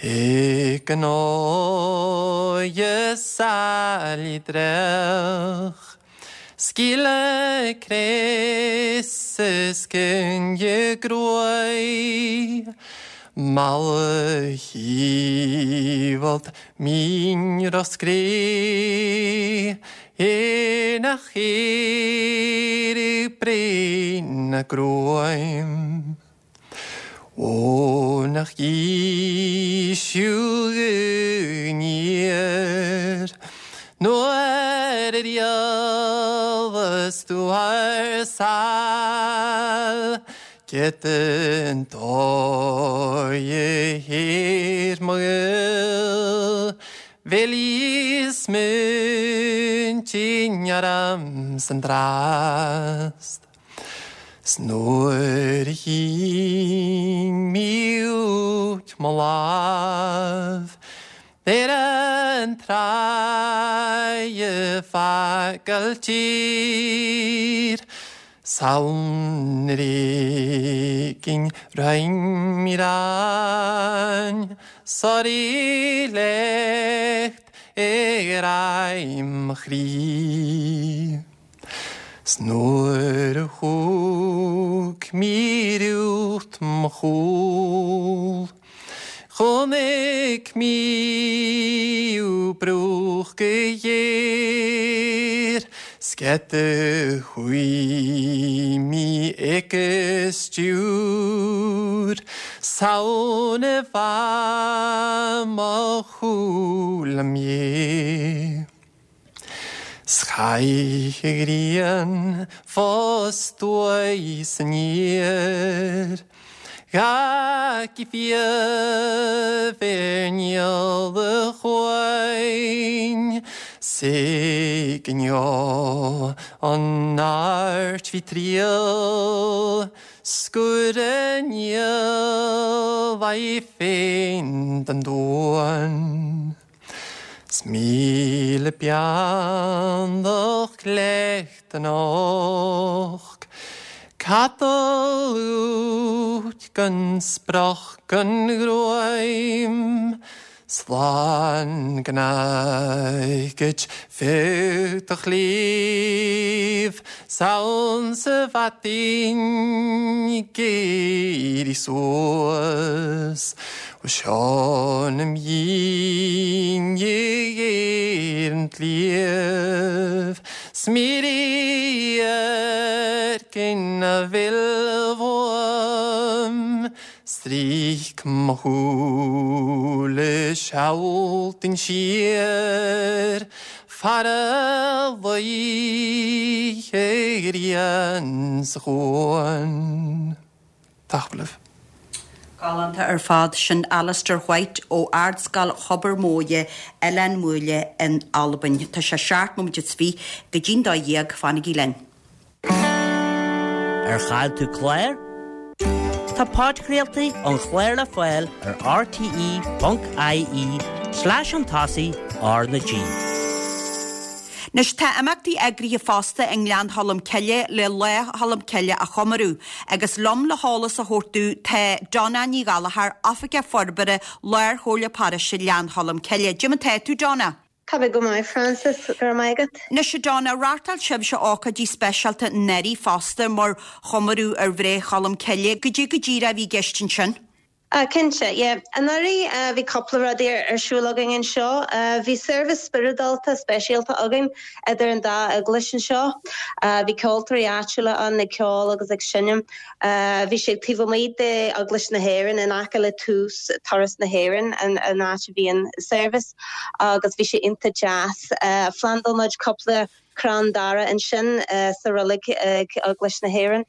Ag an óighe sailí dreach, Scaoileadh craos is coinnle gruaidh, Mallacht mín Roscrea ar na chaoirigh bréan a gruaim. Ó nach íseal aniar nuair a riabhas tú thar sáil Cét an dóigh a théir mo ghoil Bhil is muintinn orm san dtrást. 'S nuair a shín mí uait mo lámh ar an tráigh ag fágáil tír 's ann ar éigin roinn mí ráin soraí lecht ag greim mo chroí. 'S nuair a thug mí riút mo chúl Chonaic mí ú brúch go ghéar 'S cét a chuaigh mí ag a stiúir 'S ann a bha mo chúl am dhé. 'S chaith an ghrian fostóidh san aer Gach fiamh ar níol a chuain 'S ag inniu an airt bhí triall Scuaire níl aghaidh féin den domhan. 'S míle beannacht lecht an och. Capall uait gan sprach gan ghruaim, Slán go n-fhaighid feadh do chléibh, 'S ann sa bhfataín ag éirí suas. Ó seo im dhiaidh ar an tsliabh, 'S mírí ar gin a bhfuil uaim, Stríoc mo shúile sealtainn siar, Fara luíche ghrian sa chuan. Tapadh. Galánta ar fad. Sin Alistair White ó Ardscoil Thobar Mhórdha, Oileán Mhuaile in Albain. Tá sé 17 nóiméad go dtí'n 12, fanaigí linn. Ar chaill tú clár? Tá podchraoltaí an chláir le fáil ar rte.ie slash chun tosaigh R na G. Anois tá imeachtaí eagraithe fosta i nGleann Cholm Cille le Lá Cholm Cille a chomóradh agus liom le heolas a thabhairt domh tá Donna Ní Ghallchóir, Oifigeach Forbartha Lár-Chomhairle Paróiste Ghleann Cholm Cille. Cad é mar tá tú, Donna? Tá mé go maith, Frances, go raibh maith agat. Anois, a Donna, reáchtáil sibhse ócáidí speisialta anuraidh fosta mar chomóradh ar bhreith Cholm Cille. Goidé go díreach a bhí i gceist ansin? Ah, cinnte, yeah. Anuraidh bhí cúpla rudaí ar siúl againn anseo. Bhí seirbhís spioradálta speisialta againn idir an dá eaglais anseo. Bhí ceoltóirí áitiúla ann ag ceol agus ag seinm. Bhí sé taobh amuigh d'Eaglais na hÉireann, in aice le tús Turas na hÉireann, an áit a bhí an seirbhís, agus bhí sé iontach deas. Phlandáil muid cúpla crann dara ansin sa roilig ag Eaglais na hÉireann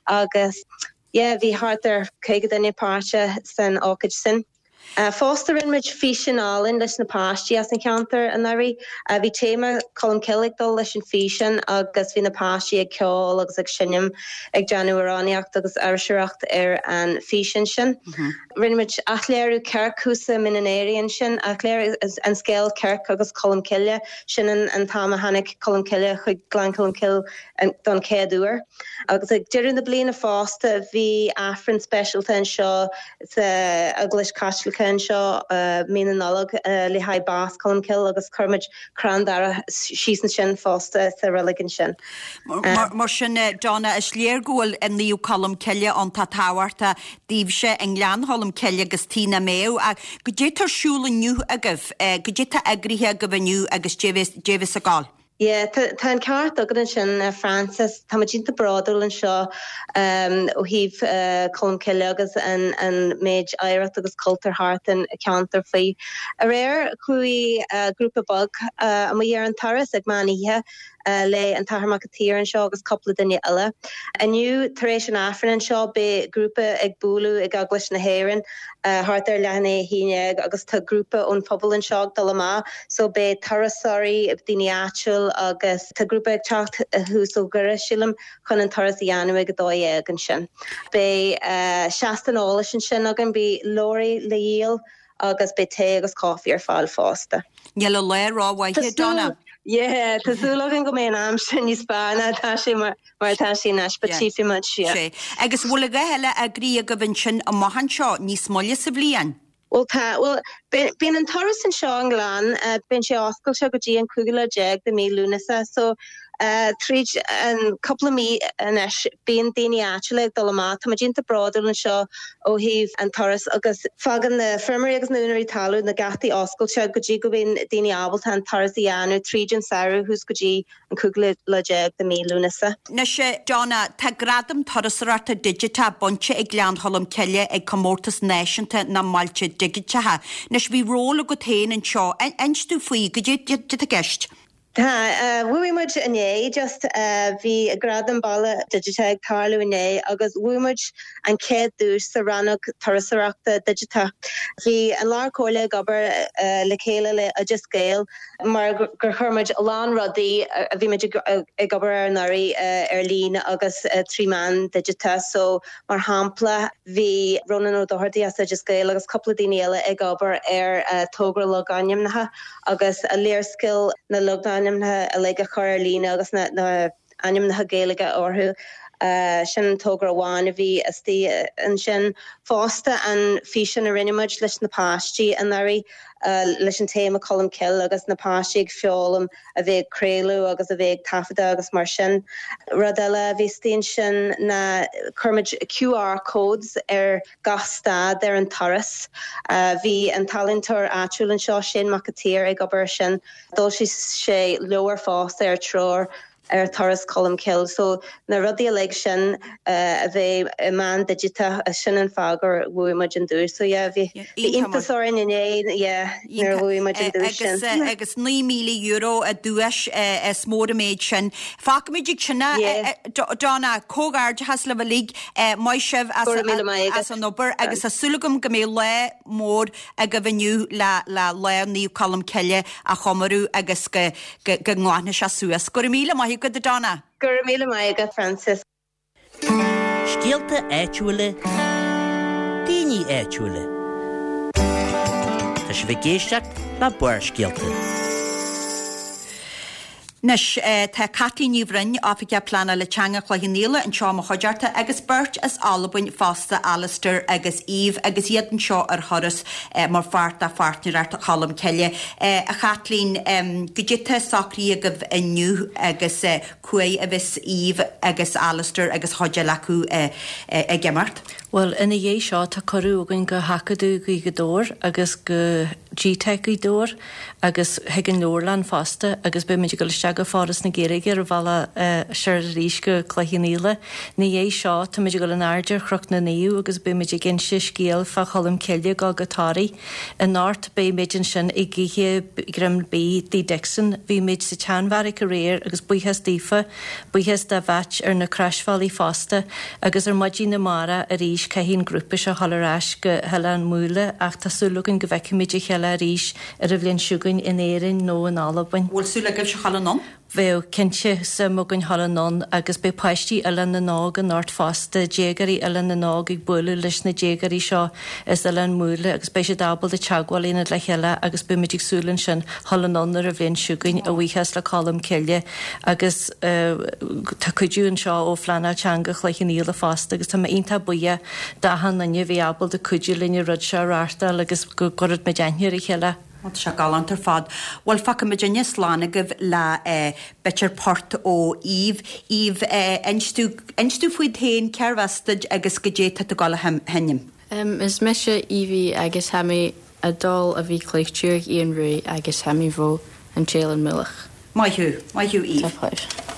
agus yeah bhí thart ar 50 duine páirteach san ócáid sin. Fosta rinne muid físeán álainn leis na páistí as an cheantar anuraidh. Bhí téama Colmcille ag dul leis an físeán agus bhí na páistí ag ceol agus ag seinm, ag déanamh amhránaíocht agus fuirseoireacht ar an físeán sin. Rinne muid athléiriú Circ thuas i Mín an Aoraigh ansin, athléiriú an scéal Circ agus Colmcille, sin an t-am a tháinig Colmcille chuig Gleann Cholm Cille don chéad uair. Agus ag deireadh na bliana fosta bhí Aifreann speisialta anseo sa Eaglais Chaitliceach anseo mí na Nollag le haghaidh bás Cholmcille agus chuir muid crann dara síos ansin fosta sa reilig ansin. Mar sin, Donna, is léir go bhfuil Naomh Colm Cille iontach tábhachtach daoibhse i nGleann Cholm Cille agus Tigh na mBéabh. Ach goidé tá ar siúl inniu agaibh, goidé tá eagraithe agaibh inniu agus cé a bheas ag gabháil? Yeah, tá an ceart agat ansin, Frances. Tá muid iontach bródúil anseo ó thaobh Colmcille agus an méid oidhreacht agus cultúr thart an ceantar faoi. Aréir chuaigh grúpa beag amuigh ar an turas ag meán oíche le an tAthair Mac an tSaoir anseo agus cúpla duine eile. Inniu tar éis an Aifrinn anseo beidh grúpa ag bualadh ag Eaglais na hÉireann thart ar leath i ndiaidh a 11 agus tá grúpa ón phobal anseo ag dul amach so beidh turasóirí, daoine áitiúil agus tá grúpa ag teacht thuas ó Dhoire, sílim, chun an turas a dhéanamh ag 12 ansin. Beidh seastán eolais ansin againn, beidh leabhraí le dhíol agus beidh tae agus caife ar fáil fosta. Níl an lá rómhaith, a Donna. Yeah, tá súil againn go mbeidh an aimsir níos fearr ná atá sé mar mar atá sé anois, but tchífidh muid, yeah. Sea. Agus bhfuil a dhath eile eagraithe agaibh ansin amach anseo níos moille sa bhliain? Bhuel tá, bhuel, bíonn an turas anseo i nGleann, bíonn sé oscailte go dtí an cúigiú lá déag de mí Lúnasa, so tríd an cúpla mí anois bíonn daoine áitiúla ag dul amach. Tá muid iontach bródúil anseo ó thaobh an turas agus fágann na feirmeoirí agus na úinéirí talún na geataí oscailte go dtí go mbíonn daoine ábalta an turas a dhéanamh tríd an samhradh thuas go dtí an cúigiú lá déag de mí Lúnasa. Anois, a Donna, tá Gradam Turasóireachta Digiteach bainte ag Gleann Cholm Cille ag Comórtas Náisiúnta na mBailte Digiteacha. Anois, bhí ról agat féin anseo. Inis domh faoi, goidé atá i gceist? Tá. Bhuaigh muid inné, just. Bhí Gradam Baile Digiteach ag tarlú inné agus bhuaigh muid an chéad duais sa rannóg Turasóireachta Digiteach. Bhí an Lár Comhairle ag obair le chéile le Oideas Gael mar gur chuir muid a lán rudaí a bhí muid ag obair ar anuraidh ar líne agus trí mheán digiteach. So, mar shampla, bhí Rónán Ó Dochartaigh as Oideas Gael agus cúpla daoine eile ag obair ar togra logainmneacha agus léarscáil na logainmneacha uilig a chur ar líne agus na ainmneacha Gaeilge orthu. Sin togra amháin a bhí istigh ansin. Fosta an físeán a rinne muid leis na páistí anuraidh leis an téama Colmcille agus na páistí ag foghlaim a bheith ag craoladh agus a bheith ag taifeadadh agus mar sin. Rud eile a bhí istigh ansin ná chuir muid QR codes ar gach stad ar an turas. Bhí an t-ealaíontóir áitiúil anseo, Shane Mac an tSaoir, ag obair ar sin. D'fhoilsigh sé leabhar fosta ar treoir ar Turas Cholmcille. So na rudaí uilig sin a bheith i meán digiteach, sin an fáth gur bhuaigh muid an duais. So yeah, bhí iontas orainn inné, yeah, nuair a bhuaigh muid an duais sin. Agus €9,000 an duais, is mór an méid sin. Fágfaimid ag sin é, Donna, comhghairdeachas libh uilig, maith sibh as an obair agus tá súil agam go mbeidh lá mór agaibh inniu le Lá Naomh Colm Cille a chomóradh agus go go nglanfaidh sé suas. Go raibh míle maith agat, a Donna. Go raibh míle maith agat, Frances. Scéalta áitiúla, daoine áitiúla. Tá sibh ag éisteacht le Barrscéalta. Anois, tá Caitlín Ní Bhroin, Oifigeach Pleanála Teanga Chloich Cheann Fhaola, anseo i mo chuideachta agus beirt as Albain fosta, Alistair agus Eve, agus iad anseo ar thuras mar pháirt de Pháirtnéireacht Cholm Cille. A Chaitlín, goidé tá socraithe agaibh inniu agus cá háit a bheas Eve agus Alistair agus chuid eile acu ag imeacht? Bhuel, ina dhiaidh seo tá cuireadh againn go hAcadamh Ghaoth Dobhair agus go GTeic Ghaoth Dobhair agus chuig an leabharlann fosta agus beidh muid ag dul isteach go Foras na Gaeilge ar an bhealach soir arís go Cloich Cheann Fhaola. Ina dhiaidh seo tá muid ag dul in airde ar Chnoc na Naomh agus beidh muid ag inse scéal fá Cholm Cille ag dul go Toraigh. Anocht beidh muid ansin ag ithe greim bídh Tigh Dixon. Bhí muid sa tSeanbheairic aréir agus buíochas daofa, buíochas do Mheait ar na croisbhealaí fosta agus ar maidin amárach arís caithfidh an grúpa seo dhul ar ais go hOileán Mhuile ach tá súil againn go bhfeicfimid a chéile arís ar an bhliain seo chugainn in Éirinn nó in Albain. Bhfuil súil agaibhse dhul anonn? Bheadh, cinnte, suim againn dhul anonn agus beidh páistí Oileán na nÓg anocht fosta, déagóirí Oileán na nÓg ag bualadh leis na déagóirí seo as Oileán Mhuile agus beidh siad ábalta teagmháil a dhéanamh le chéile agus beidh muid ag súil ansin dhul anonn ar an bhliain seo chugainn, a bhuíochas le Colm Cille agus tá cuidiú anseo ó Phleanáil Teanga Chloich Cheann Fhaola fosta agus tá mé iontach buíoch d'achan duine a bhí ábalta cuidiú linn an rud seo a reáchtáil agus go gcuirfeadh muid aithne ar a chéile. Ó, tá sé galánta ar fad. Bhuel, fágfaidh muidinne slán agaibh le b'fhéidir port ó Eve. Eve, inis domh, inis domh fút féin, cérbh as duit agus goidé tá tú ag dul a sheinm? Is mise Evie agus tha mi a' dol a bhith claoich Iain Ruaidh agus tha mi bho an tSeileann Mullach. Maith thú, maith thú Eve. Tá.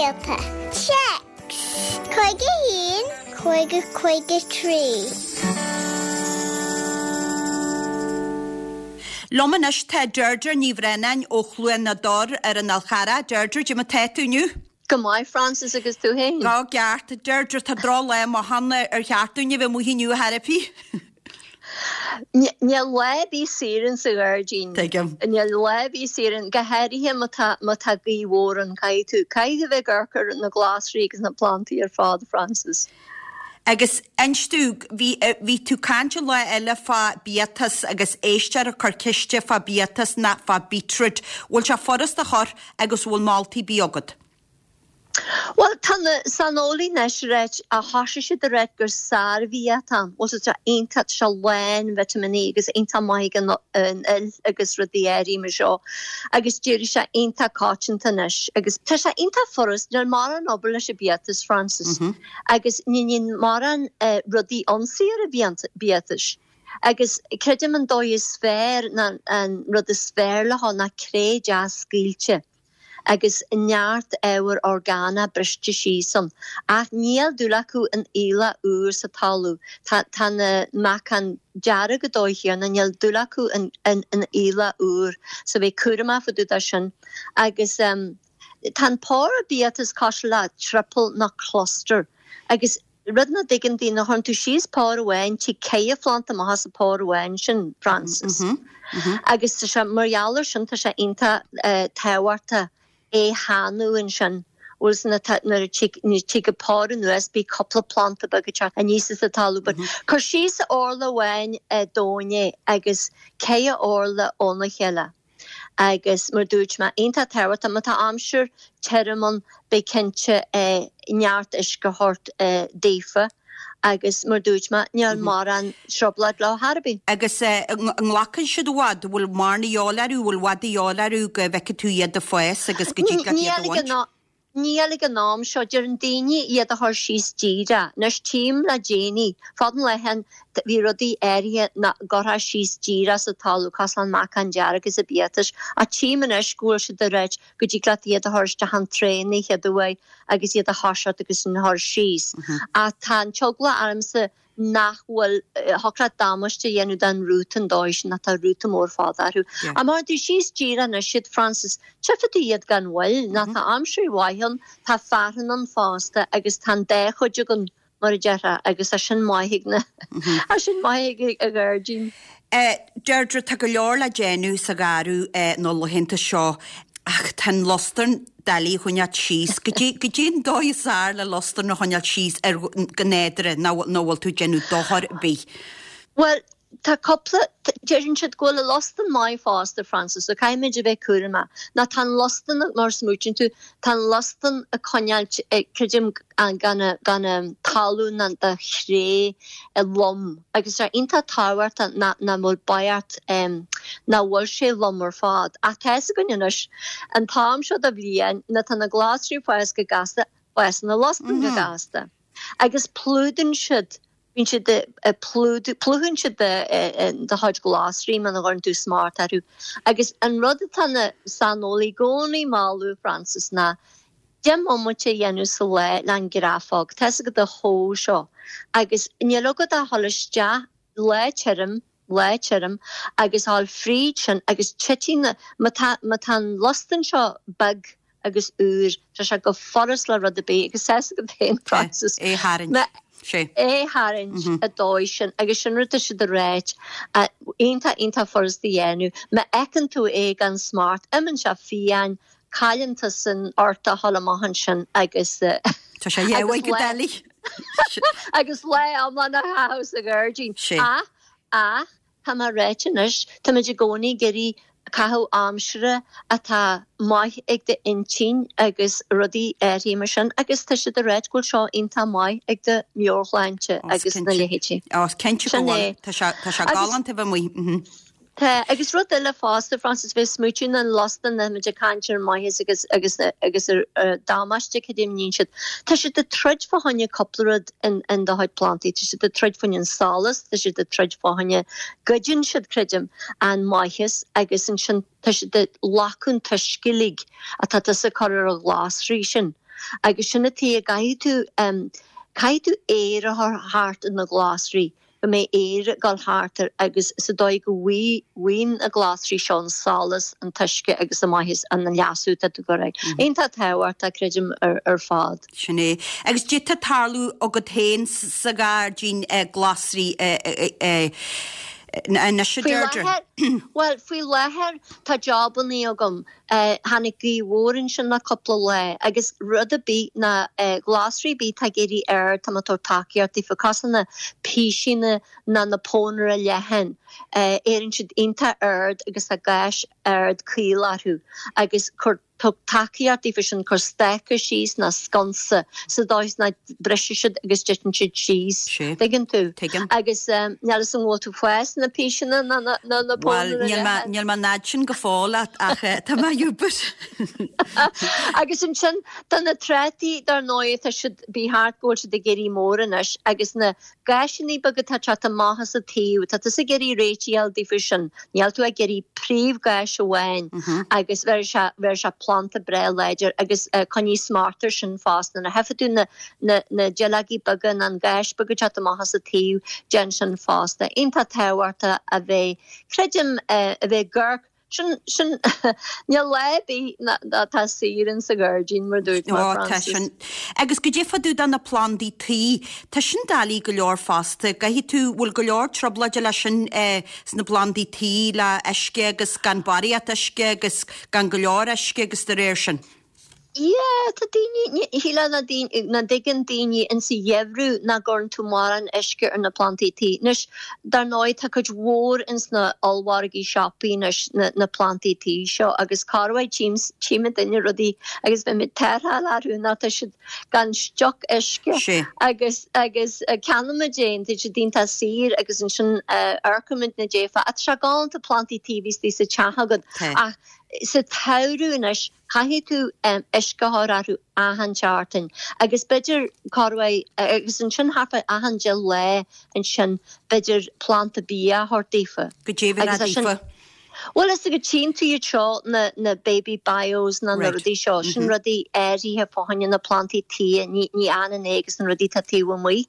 Barrscéalta. Téacs, 51 50 53. Liom anois tá Deirdre Ní Bhraonáin ó Chluain na dTor ar an Fhál Charrach. Deirdre, cad é mar tá tú inniu? Go maith, Frances, agus tú féin? Go ceart. Deirdre, tá drochlá maith ann ar cheart dúinn a bheith amuigh inniu ar chor ar bith. Níl lá ar bith saor in sa ghairdín. Tuigim. Níl lá ar bith saor ann, go háirithe má tá má tá gaoth mhór ann. Caithfidh tú caithfidh tú bheith ag amharc ar na glasraí agus na plantaí ar fad, Frances. Agus inis domh, bhí bhí tú caint an lá eile fá biatas agus éisteoir ag cur ceiste fá biatas ná fá beetroot. Bhfuil sé furast a chur agus bhfuil moltaí ar bith agat? Bhuel, tá na saineolaithe anois ag ráit, thosaigh siad ag ráit gur sárbhia atá ann. Bhuel, tá sé iontach, tá sé lán vitimíní agus iontach maith ag an fhuil agus rudaí áirithe mar seo. Agus d'éirigh sé iontach coitianta anois. Agus tá sé iontach furast, níl mórán obair leis an biatas, Frances. Agus ní níonn mórán rudaí ionsaí ar an biatas. Agus creidim an dóigh is fearr, ná an rud is fearr le ná cré deas scaoilte. agus neart ábhar orgánach briste síos ann. Ach níl dúil acu in aoileach úr sa talamh. Tá tá na meacain dearg an dóigh chéanna, níl dúil acu in in aoileach úr. So bheith cúramach fá dtaobh de sin. Agus tá an pór biatas cosúil le triple nó cluster. Agus Rud nach dtuigeann daoine, chuireann tú síos pór amháin, tig ceithre phlanta amach as an pór amháin sin, Frances. Agus tá sé, mar gheall ar sin, tá sé iontach tábhachtach é theannadh ansin. Bhfuil san atá, nuair a tig, nuair a tig an pór anuas, bíonn cúpla planta beag ag teacht aníos as an talamh. But cuir síos orla amháin domhain é agus ceithre orla óna chéile. Agus mar dúirt mé, iontach tábhachtach, má tá aimsir tirim ann, bí cinnte neart uisce a thabhairt daofa agus mar dúirt mé, níl mórán trioblóid leo chor ar bith. Agus an nglacann siad i bhfad, bhfuil mórán de dhíobháil orthu, bhfuil i bhfad de dhíobháil orthu go bhfeicfidh tú iad ag fás agus go dtig leat iad a bhaint? Níl ag an am seo. Deireann daoine iad a chur síos díreach. Anois tchím le déanaí, fad an lae bhí rudaí áirithe nach gcuirfeá síos díreach sa talamh, cosúil le an meacán dearg is an biatas, ach tchím anois go bhfuil siad ag ráit go dtig leat iad a chur isteach an tray an chéad uair agus iad a thoiseacht agus an chur síos. Ach tá an t-eagla ormsa nach bhfuil, thiocfadh leat damáiste a dhéanamh don rúta an dóigh sin, tá rúta mór fada orthu. Ach má chuireann tú síos díreach anois iad, Frances, tchífidh tú iad gan mhoill, nó tá aimsir mhaith ann, tá fearthainn ann fosta agus tá an dá chuid againn, mar a déarfá, agus tá sin maith ag na, tá sin maith ag an ghairdín. Deirdre, tá go leor le déanamh sa gharradh na laethanta seo ach tá an lustan doiligh a choinneáilt síos. Goidé, goidé an dóigh is fearr le lustan a choinneáilt síos ar, go nádúrtha, nach bhfuil tú ag déanamh dochar ar bith? Bhuel, tá cúpla, deireann siad go bhfuil an lustan maith fosta, Frances, so caithfimid a bheith cúramach. Nó tá an lustan, mar a smaoitíonn tú, tá an lustan ag coinneáilt, creidim, gan an talamh ná do chré lom agus tá iontach tábhachtach nach bhfuil baghart nach bhfuil sé lom ar fad. Ach tá fhios againn anois, an t-am seo de bhliain, nuair atá na glasraí ag fás go gasta, fásann na lustain go gasta. Agus plúdann siad, bíonn siad ag plúdú, plúchann siad do chuid glasraí muna gcuireann tú smacht orthu. Agus an rud atá na saineolaithe i gcónaí ag moladh, Frances, ná 10 mbomaite a dhéanamh sa lá le an grafóg, tá fhios agat an hoe seo, agus níl agat ach dhul isteach lá tirim, lá tirim, agus dhul fríd sin agus titfidh na, má tá, má tá an lustan seo beag agus úr, tá sé go furast le rud ar bith agus tá fhios agat féin, Frances, É a tharraingt, sé. é a tharraingt an dóigh sin agus sin rud tá siad ag ráit, iontach, iontach furast a dhéanamh. Má fheiceann tú é gan smacht, imíonn sé fiáin, Cailleann tusa ort a dhul amach ansin agus Tá sé dheabhaidh go doiligh. agus lá iomlán a chaitheamh sa ghairdín. Ach, ach, tá mé ráite anois, táimid i gcónaí ag iarraidh caitheamh aimsire atá maith ag d'intinn agus rudaí áirithe mar sin agus tá siad ag ráit go bhfuil seo iontach maith ag do mheabhairshláinte agus na leithéidí. Ó, cinnte go bhfuil. Tá sé, tá sé galánta a bheith amuigh. Tá, agus rud eile fosta, Frances, bheith ag smaoitiú na lustan tá muid ag caint ar maitheas agus agus agus ar damáiste cad é a níonn siad. Tá siad ag troid fá choinne cúpla rud in in do chuid plantaí, tá siad ag troid fá choinne an solas, tá siad ag troid fá choinne, goideann siad, creidim, an maitheas agus ansin tá siad ag glacadh an t-uisce uilig atá tusa ag cur ar an ghlasraí sin. Agus sin an tuige a gcaithfidh tú, caithfidh tú aer a chur thart ar na glasraí, go mbeidh aer ag dul thart air agus sa dóigh go bhfaigheann na glasraí seo an solas, an t-uisce agus an maitheas, an leasú atá tú ag cur air. Iontach tábhachtach, creidim, ar fad. Sin é. Agus goidé tá ag tarlú agat féin sa ghairdín glasraí anois, a Faoi Deirdre? láthair, bhuel, faoi láthair tá jobannaí agam. Tháinig gaoth mhór ansin le cúpla lá agus rud ar bith ná glasraí ar bith atá ag éirí ard, tá mé ag tabhairt tacaíocht daofa, cosúil na písíní ná na pónaire leathan, éiríonn siad iontach ard agus tá gais ard caol orthu agus cuir Tug tacaíocht daofa sin, cuir stáca síos ná sconsa sa dóigh is nach briseann siad agus titeann siad síos. Sea. Tuigeann tú? Tuigim. Agus níl fhios an bhfuil tú ag fás na píseanna ná na ná na Bhuel, pónaire níl mé leathan. níl mé an fhad sin go fóill ach ach tá mé ag obair. Agus ansin tá na trátaí dar ndóigh tá siad bí thart go bhfuil siad ag éirí mór anois agus na Gáiseanna beaga atá ag teacht amach as an taobh, tá tusa ag iarraidh réitigh a fháil daofa sin, níl tú ag iarraidh príomhgháis amháin agus bheir sé, bheir sé planda breá láidir agus coinnigh smacht air sin fosta. Nuair a tchífidh tú na, na, na duilleogaí beaga nó an gáis beag ag teacht amach as an taobh, déan sin fosta. Iontach tábhachtach a bheith, creidim, a bheith ag amharc Sin, sin, níl lá ar bith atá saor in sa ghairdín, mar dúirt mé, Ó, tá Frances. sin. Agus goidé fá dtaobh de na plandaí tuí, tá sin doiligh go leor fosta. Caithfidh tú, bhfuil go leor trioblóide leis sin sna plandaí tuí le uisce agus gan barraíocht uisce agus gan go leor uisce agus de réir sin. Yeah, tá daoine, shílfeá nach dtuigeann daoine insa gheimhreadh nach gcuireann tú mórán uisce ar na plandaí tí. Anois, dar ndóigh, tá cuid mhór ins na ollmhargaí siopaí anois, na plandaí tí seo agus corruair tchím, tchímidne rudaí agus bheimid tarrtháil orthu nach tá siad gan stioc uisce Sea. agus, agus ceannaímid é, tá siad iontach saor agus ansin amharcaimidne daofa. Tá sé galánta plandaí tí a bheith istigh sa teach agat Tá. ach sa tsamhradh anois, Caithfidh tú uisce a chur orthu achan tseachtain agus b'fhéidir corruair agus ansin thart fá achan 10 lá ansin b'fhéidir planda bia a thabhairt daofa. Goidé a bheifeá daofa. Bhuel is go tchíonn tú iad seo na na baby bios ná na rudaí seo sin rudaí áirithe fá choinne na plandaí tí ní ní fhanann é agus na rudaí atá taobh amuigh.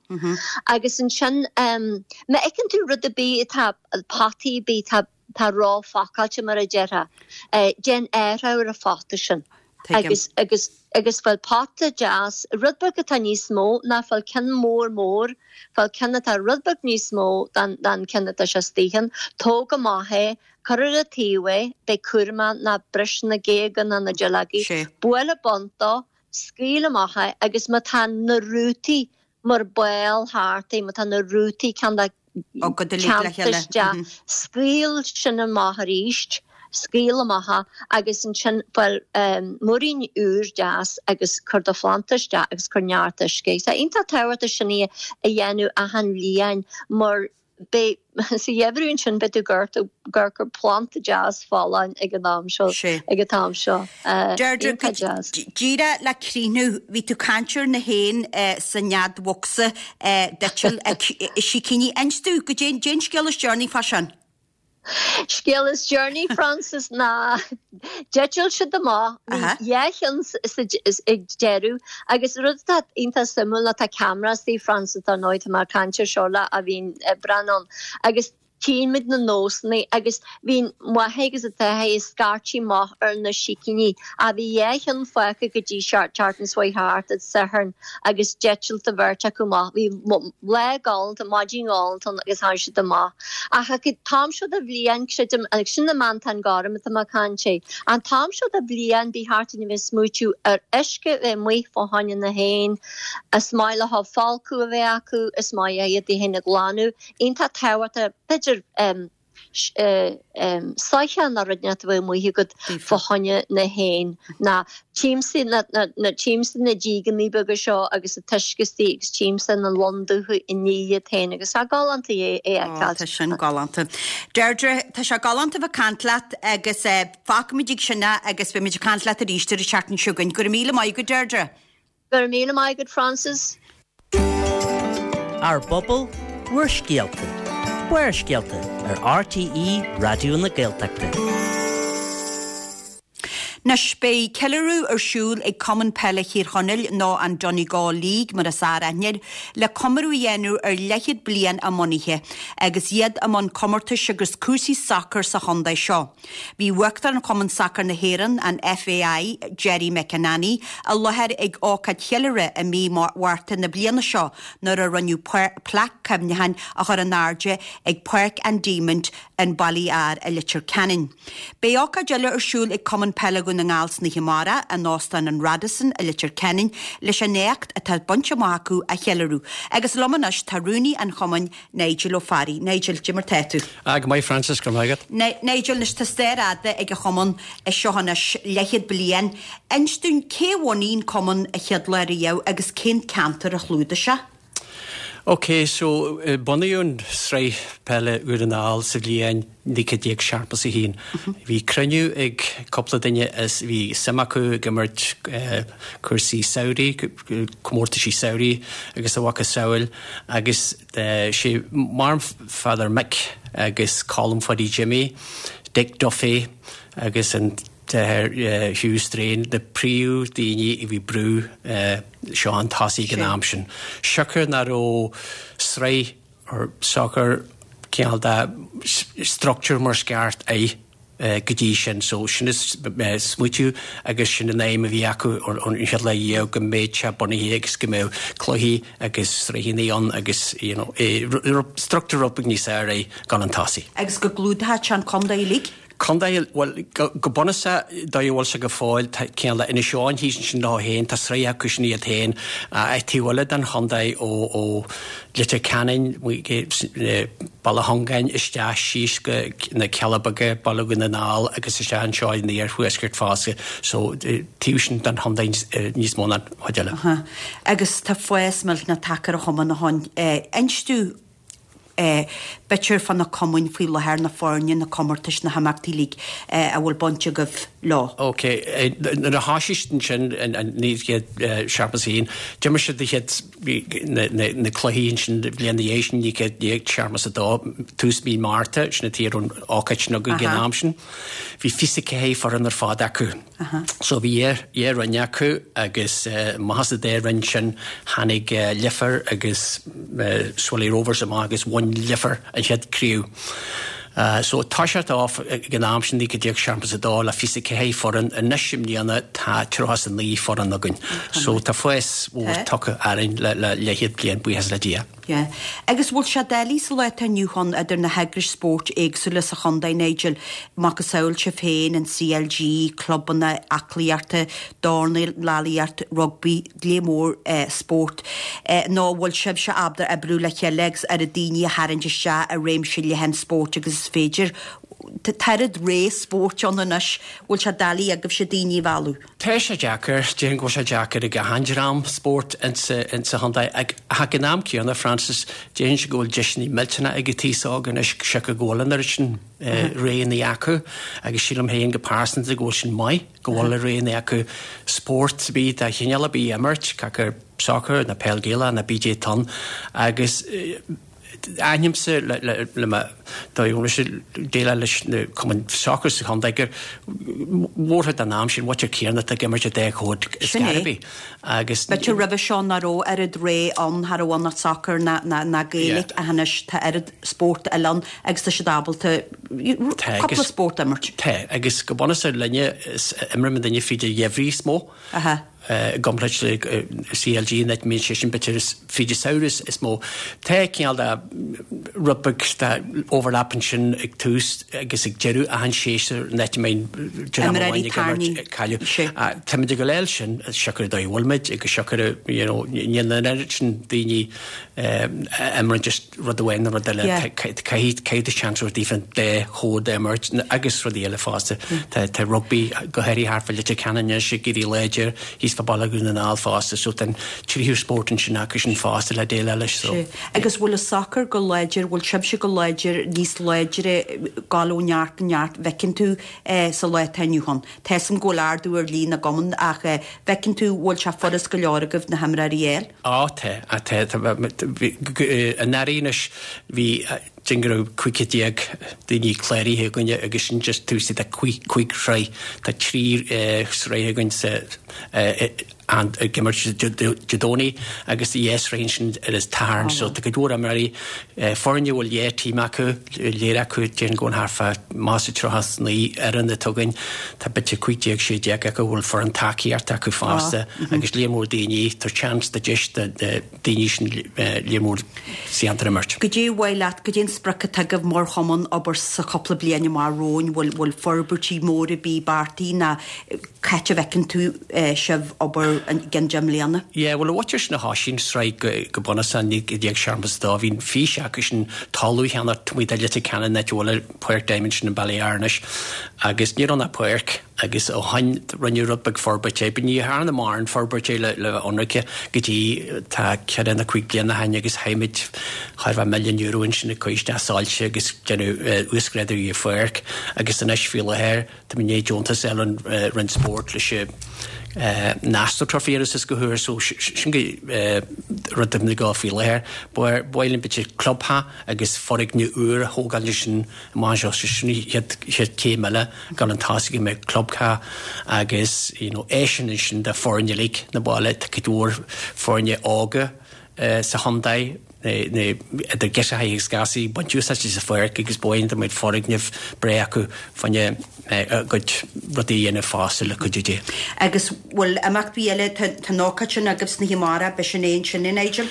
Agus ansin má fheiceann tú rud ar bith atá potaí ar bith atá Tá róphacáilte mar a déarfá. Déan athrú ar an phota sin. Agus, agus, agus fáil pota deas, rud beag atá níos mó ná fáil ceann mór mór, fáil ceann atá rud beag níos mó ná an ceann atá sé istigh ann, tóg amach é, cuir ar an taobh é, beidh cúramach ná bris na géaga ná na duilleogaí, buail an bun dó, scaoil amach é agus má tá na rútaí mar ball thart é, má tá na rútaí ceann dá teannta isteach, scaoil sin amach arís, scaoil amach é agus ansin fáil muirín úr deas agus cuir do phlanda isteach agus cuir neart uisce. Tá iontach tábhachtach sin a dhéanamh achan bhliain mar Beidh, sa gheimhreadh ansin, beidh tú ag amharc ar phlanda deas folláin ag an am seo, ag an t-am seo. Deirdre, Iontach deas. Díreach le críochnú, bhí tú ag caint ar na héin sa nead bhocsa d'eitil sicíní. Inis domh, goidé an scéal is deireanaí fá sin? Scéal is deireanaí, Frances, ná d'eitil siad amach, bhí dhá cheann ag deireadh agus rud atá iontach suimiúil ná tá ceamara istigh, Frances, dar ndóigh, tá mé ag caint ar seo le a bhíonn ag breathnú ann agus tchíonn muid na nósanna agus bhíonn máthair agus an t-athair ag scairtigh amach ar na sicíní. Ach bhí dhá cheann fágtha go dtí seachtain seo thart, an Satharn, agus d'eitil an bheirt acu amach. Bhí lá galánta, maidin ghalánta ann agus tháinig siad amach. Ach ag an t-am seo de bhliain, creidim, agus sin na meantáin gorm atá mé ag caint air, an t-am seo de bhliain ba cheart dúinn a bheith ag smaoitiú ar uisce a bheith amuigh fá choinne na héin, is maith leo folcadh a bheith acu, is maith iad féin a ghlanadh, iontach tábhachtach, b'fhéidir, soitheach nó rud inteacht a bheith amuigh agat fá choinne na héin ná tchímse na tchímse na dígeanna beaga seo agus an t-uisce istigh agus tchímse na lon dubha ag ní iad féin agus tá galánta é a fheiceáil. Tá sin galánta. Deirdre, tá sé galánta bheith ag caint leat agus fágfaimid ag sin é agus beimid ag caint leat arís ar an tseachtain seo chugainn. Go raibh míle maith agat Deirdre. Go raibh míle maith agat Frances. Ár bpobal, bhur scéalta. Barrscéalta ar RTÉ Raidió na Gaeltachta. Anois, beidh ceiliúradh ar siúl ag Cumann Peile Thír Chonaill, nó an Donegal League mar is fearr aithne air, le comóradh a dhéanamh ar leathchéad bliain a mbunaithe, agus iad i mbun comórtais agus cúrsaí sacair sa chontae seo. Bhí Uachtarán Chumann Sacair na hÉireann, an FAI, Gerry McAnany, i láthair ag ócáid cheiliúrtha i mí Márta na bliana seo nuair a rinneadh plaic cuimhneacháin a chur in airde ag Páirc an Diamaint in Baile Fhear i Leitir Ceanainn. Beidh ócáid eile ar siúl ag Cumann Peile Dhún na nGall san oíche amárach in Óstán an Radisson i Leitir Ceanainn leis an éacht atá bainte amach acu a cheiliúradh. Agus liom anois tá Rúnaí an Chumainn, Nigel Ó Fearraigh. Nigel, cad é mar tá tú? Ah, go maith Frances, go raibh maith agat. Nigel, anois tá stair fhada ag an chumann seo anois, leathchéad bliain. Inis dúinn cé a bhunaigh an cumann an chéad lá riamh agus cén ceantar a chlúdaigh sé? Ok, so bunaíodh an sraith peile Dhún na nGall sa bhliain 1971. Bhí cruinniú ag cúpla duine is bhí suim acu ag imirt cúrsaí samhraidh, comórtaisí samhraidh agus a mhacasamhail agus sé Marm Pheadar Mick agus Colm Pháidí Jimmy, Dick Duffy agus an t-athair Hugh Strain na príomh daoine a bhí brú seo chun tosaigh ag an am sin. Siocair nach raibh sraith or sacar cineál de structure mar is ceart air go dtí sin. So sin an smaoitiú agus sin an aidhm a bhí acu ón chéad lá riamh go mbeadh sé bunaithe agus go mbeadh cluichí agus sraitheanna ann agus you know structure rud beag níos fhearr air dul chun tosaigh. Agus go gclúdódh sé an contae uilig? Contae, bhuel, go bunúsach, dóigh a bhfuil sé go fóill, tá cineál de Inis Eoghain thíos ansin leo féin, tá sraith acu sin iad féin, ach taobh eile den chontae ó Leitir Ceanainn, Baile Chongáin isteach síos go na Cealla Beaga, Baile Dhún na nGall agus isteach anseo in iarthuaisceart fosta, so taobh sin den chontae níos mó ná an chuid eile. Agus tá fás millteanach tagtha ar an chumann ó shin. Inis dúinn b'fhéidir fá na cumainn faoi láthair, na foirne, na comórtais, na himeachtaí uilig a bhfuil baint agaibh leo. Ok, nuair a thoisigh siad ansin in 1971, d'imir siad na chéad, na cluichí ansin bliain ina dhiaidh sin, 1972, tús mí Márta, sin an t-aon ócáid sin againn ag an am sin. Bhí 24 foireann ar fad acu. So bhí dhá roinn acu agus amach as an dá roinn sin tháinig Leifear agus Swilly Rovers amach agus bhain Leifear an chéad craobh. So toiseacht off ag an am sin 1972 le 24 foireann, anois i mbliana tá 39 foireann againn. So tá fás mhór tagtha orainn le leathchéad bliain, buíochas le Dia. Yeah. Agus bhfuil sé doiligh sa lá atá inniu ann idir na heagrais spóirt éagsúla sa chontae, Nigel, macasamhail sibh féin, an CLG, clubanna aclaíochta, dornálaíocht, rugbaí, lear mór spórt, nó an bhfuil sibhse ábalta oibriú le chéile agus oiread daoine a tharraingt isteach i réimse leathan spóirt agus is féidir? Tá oiread rogha spóirt ann anois, bhfuil sé doiligh agaibhse daoine a mhealladh? Tá sé deacair, déarfainn go bhfuil sé deacair ag achan dream spóirt insa chontae ach ag an am céanna, Frances, déarfainnse go bhfuil deiseanna millteanna ag an t-aos óg anois siocair go bhfuil an oiread sin roghanna acu agus sílim féin go pearsanta go bhfuil sin maith, go bhfuil roghanna acu spórt ar bith de chineál ar bith a imirt, cé acu sacar nó peil Gaelach nó pé atá ann agus Aithnímse le mo dóigh mise déileáil leis na cumainn sacair sa chontae gur mórchuid den am sin muintir céanna atá ag imirt an dá chód ar Sin scor é. ar bith agus. B'fhéidir roimhe seo nach raibh oiread rogha ann, cha raibh ann ach sacar ná ná Gaeilge ach anois tá oiread spórt eile ann agus tá siad ábalta Tá cúpla agus spórt a imirt. Tá agus go bunúsach linne is imríonn duine fríd an gheimhreadh is mó. Aha. I gcomparáid le CLG an áit a mbíonn sé sin b'fhéidir is fríd an samhradh is mó. Tá cineál de rud beag de overlap ansin ag tús agus ag deireadh achan séasúr an áit a mbíonn dream amháin ag imirt ag cailleadh. Táimid ag gabháil sin siocair an dóigh a bhfuil muid agus siocair you know níl an oiread sin daoine a imríonn just rud amháin nó rud eile, caithfidh tú seans a thabhairt daofa an dá chód a imirt agus rudaí eile fosta. Tá rugbaí go háirithe thart fá Leitir Ceanainn anois ag éirí láidir, thíos fá Baile Dhún na nGall fosta, so tá an tríú spórt ansin acu sin fosta le déileáil leis. So. Agus bhfuil an sacar go láidir, bhfuil sibhse go láidir, níos láidre, gabháil ó neart go neart, bhfeiceann tú sa lá atá inniu ann? Tá 'fhios a'm go bhfuil ardú ar líon na gcumann ach bhfeiceann tú bhfuil sé furast go leor agaibh na himreoirí a fháil? Á tá, tá, tá. Anuraidh anois bhí Déarfainn go raibh 15 daoine cláraithe againne agus sin just tús de chúig shraith. Tá 3 sraith againn sa ag imirt Dé Domhnaigh agus dhá sraith ansin ar an Satharn so tá cuid mhór imreoirí, foirne a bhfuil dhá team acu, léir acu déarfainn go bhfuil thart fá más a 39 fhoireann atá againn, tá b'fhéidir 15, 16 acu a bhfuil foireann tacaíochta acu fosta agus líon mór daoine, tá seans, tá deis do daoine sin líon mór sa cheantar imirt. Goidé ar mhaith leat, goidé an sprioc atá agaibh mar chumann abair sa chúpla bliain amach romhainn, bhfuil bhfuil forbairtí móra ar bith beartaithe ná c'áit a bhfeiceann tú sibh abair i gceann 10 mbliana? Yeah, bhuel, an mhuintir sin a thoisigh an sraith go bunúsach i 1972, bhí an fís acu sin talamh a cheannacht taobh amuigh de Leitir Ceanainn, áit a bhfuil an Páirc Diamond sin i mBaile Átha anois, agus ní raibh ann ach páirc agus ó shoin rinneadh rud beag forbairt air, but ní dhearnadh mórán forbairt air le bheith ionraice go dtí tá ceithre nó cúig bliana ó shoin agus chaith muid chóir a bheith €1 milliún ansin ag cur isteach soilse agus déanamh uasghrádú ar an pháirc agus anois faoi láthair Tá mé i ndiaidh deontas a fháil ón Roinn Spóirt leis an AstroTurf a dhéanamh suas go húr so sin go rud atá ag dul faoi láthair. Ba mhaith linn b'fhéidir clubtheach agus foirgneamh úr a thógáil ansin amach anseo so sin an chéad chéad chéim eile ag dul chun tosaigh go mbeidh clubtheach agus you know áiseanna ansin do foirne uilig na baile tá cuid mhór foirne óga sa chontae idir girseachaí agus gasúir ag baint úsáid as an pháirc agus ba mhaith linn dá mbeadh foirgneamh breá acu fá choinne a gcuid rudaí a dhéanamh fosta le cuidiú Dé. Agus bhfuil imeacht ar bith eile, tá an ócáid sin agaibh san oíche amárach, beidh sin é ansin, a Nigel?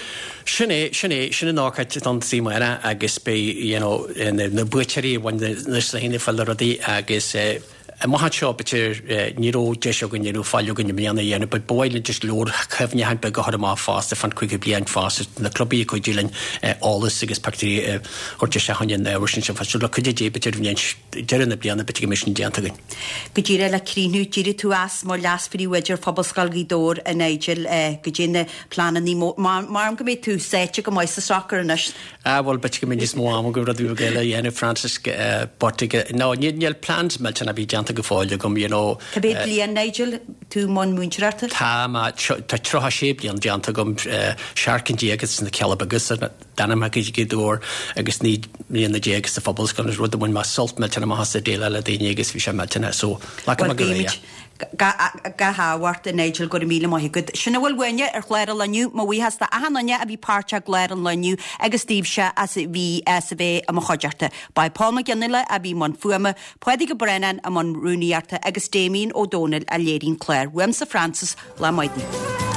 Sin é, sin é, sin an ócáid don oíche amárach agus beidh you know na buaiteoirí a bhain na sraitheanna fáil na rudaí agus eh, Amach anseo, b'fhéidir, ní raibh deis againn, ní raibh faill againn i mbliana a dhéanamh, but ba mhaith linn just leabhar cuimhneacháin beag a chur amach fosta fán 50 bliain fosta, na clubaí ag cuidiú linn eolas agus pictiúirí a thabhairt isteach chun an ábhair sin sin. So le cuidiú Dé, b'fhéidir bhliain, deireadh na bliana, b'fhéidir go mbeidh sin déanta againn. Go díreach le críochnú, d'éirigh tú as mar leas-phríomhoide ar Phobalscoil Ghaoth Dobhair, a Nigel, goidé na pleananna, measaim go mbeidh tú sáite go maith sa sacar anois. Ah bhuel b'fhéidir go mbeidh níos mó ama agam rudaí beaga eile a dhéanamh Francis but no níl plans millteanach ar bith déanta go fóill agam you know. Cá mhéad bliain Nigel tú i mbun múinteoireachta? Tá mé tá 36 bliain déanta agam 17 cinn sna Cealla Beaga sa Danmhairg i Gaoth Dobhair agus 19 mbliana sa Phobalscoil agus rud a bhain mé sult millteanach amach as ag déileáil le daoine agus bhí sé millteanach so glacfaidh mé go réidh é. Gach ádh ort, a Nigel, go raibh míle maith agat. Sin a bhfuil uainne ar chlár an lae inniu. Mo bhuíochas d'achan duine a bhí páirteach i gclár an lae inniu agus daoibhse as a bhí as a bheith i mo chuideachta. Ba é Paul Mac Fhionnghaile a bhí i mbun fuaime, Pádraig Ó Braonáin i mbun rúnaíochta agus Damien Ó Dónaill a léirigh an clár. Uaimse Frances, lá maith daoibh.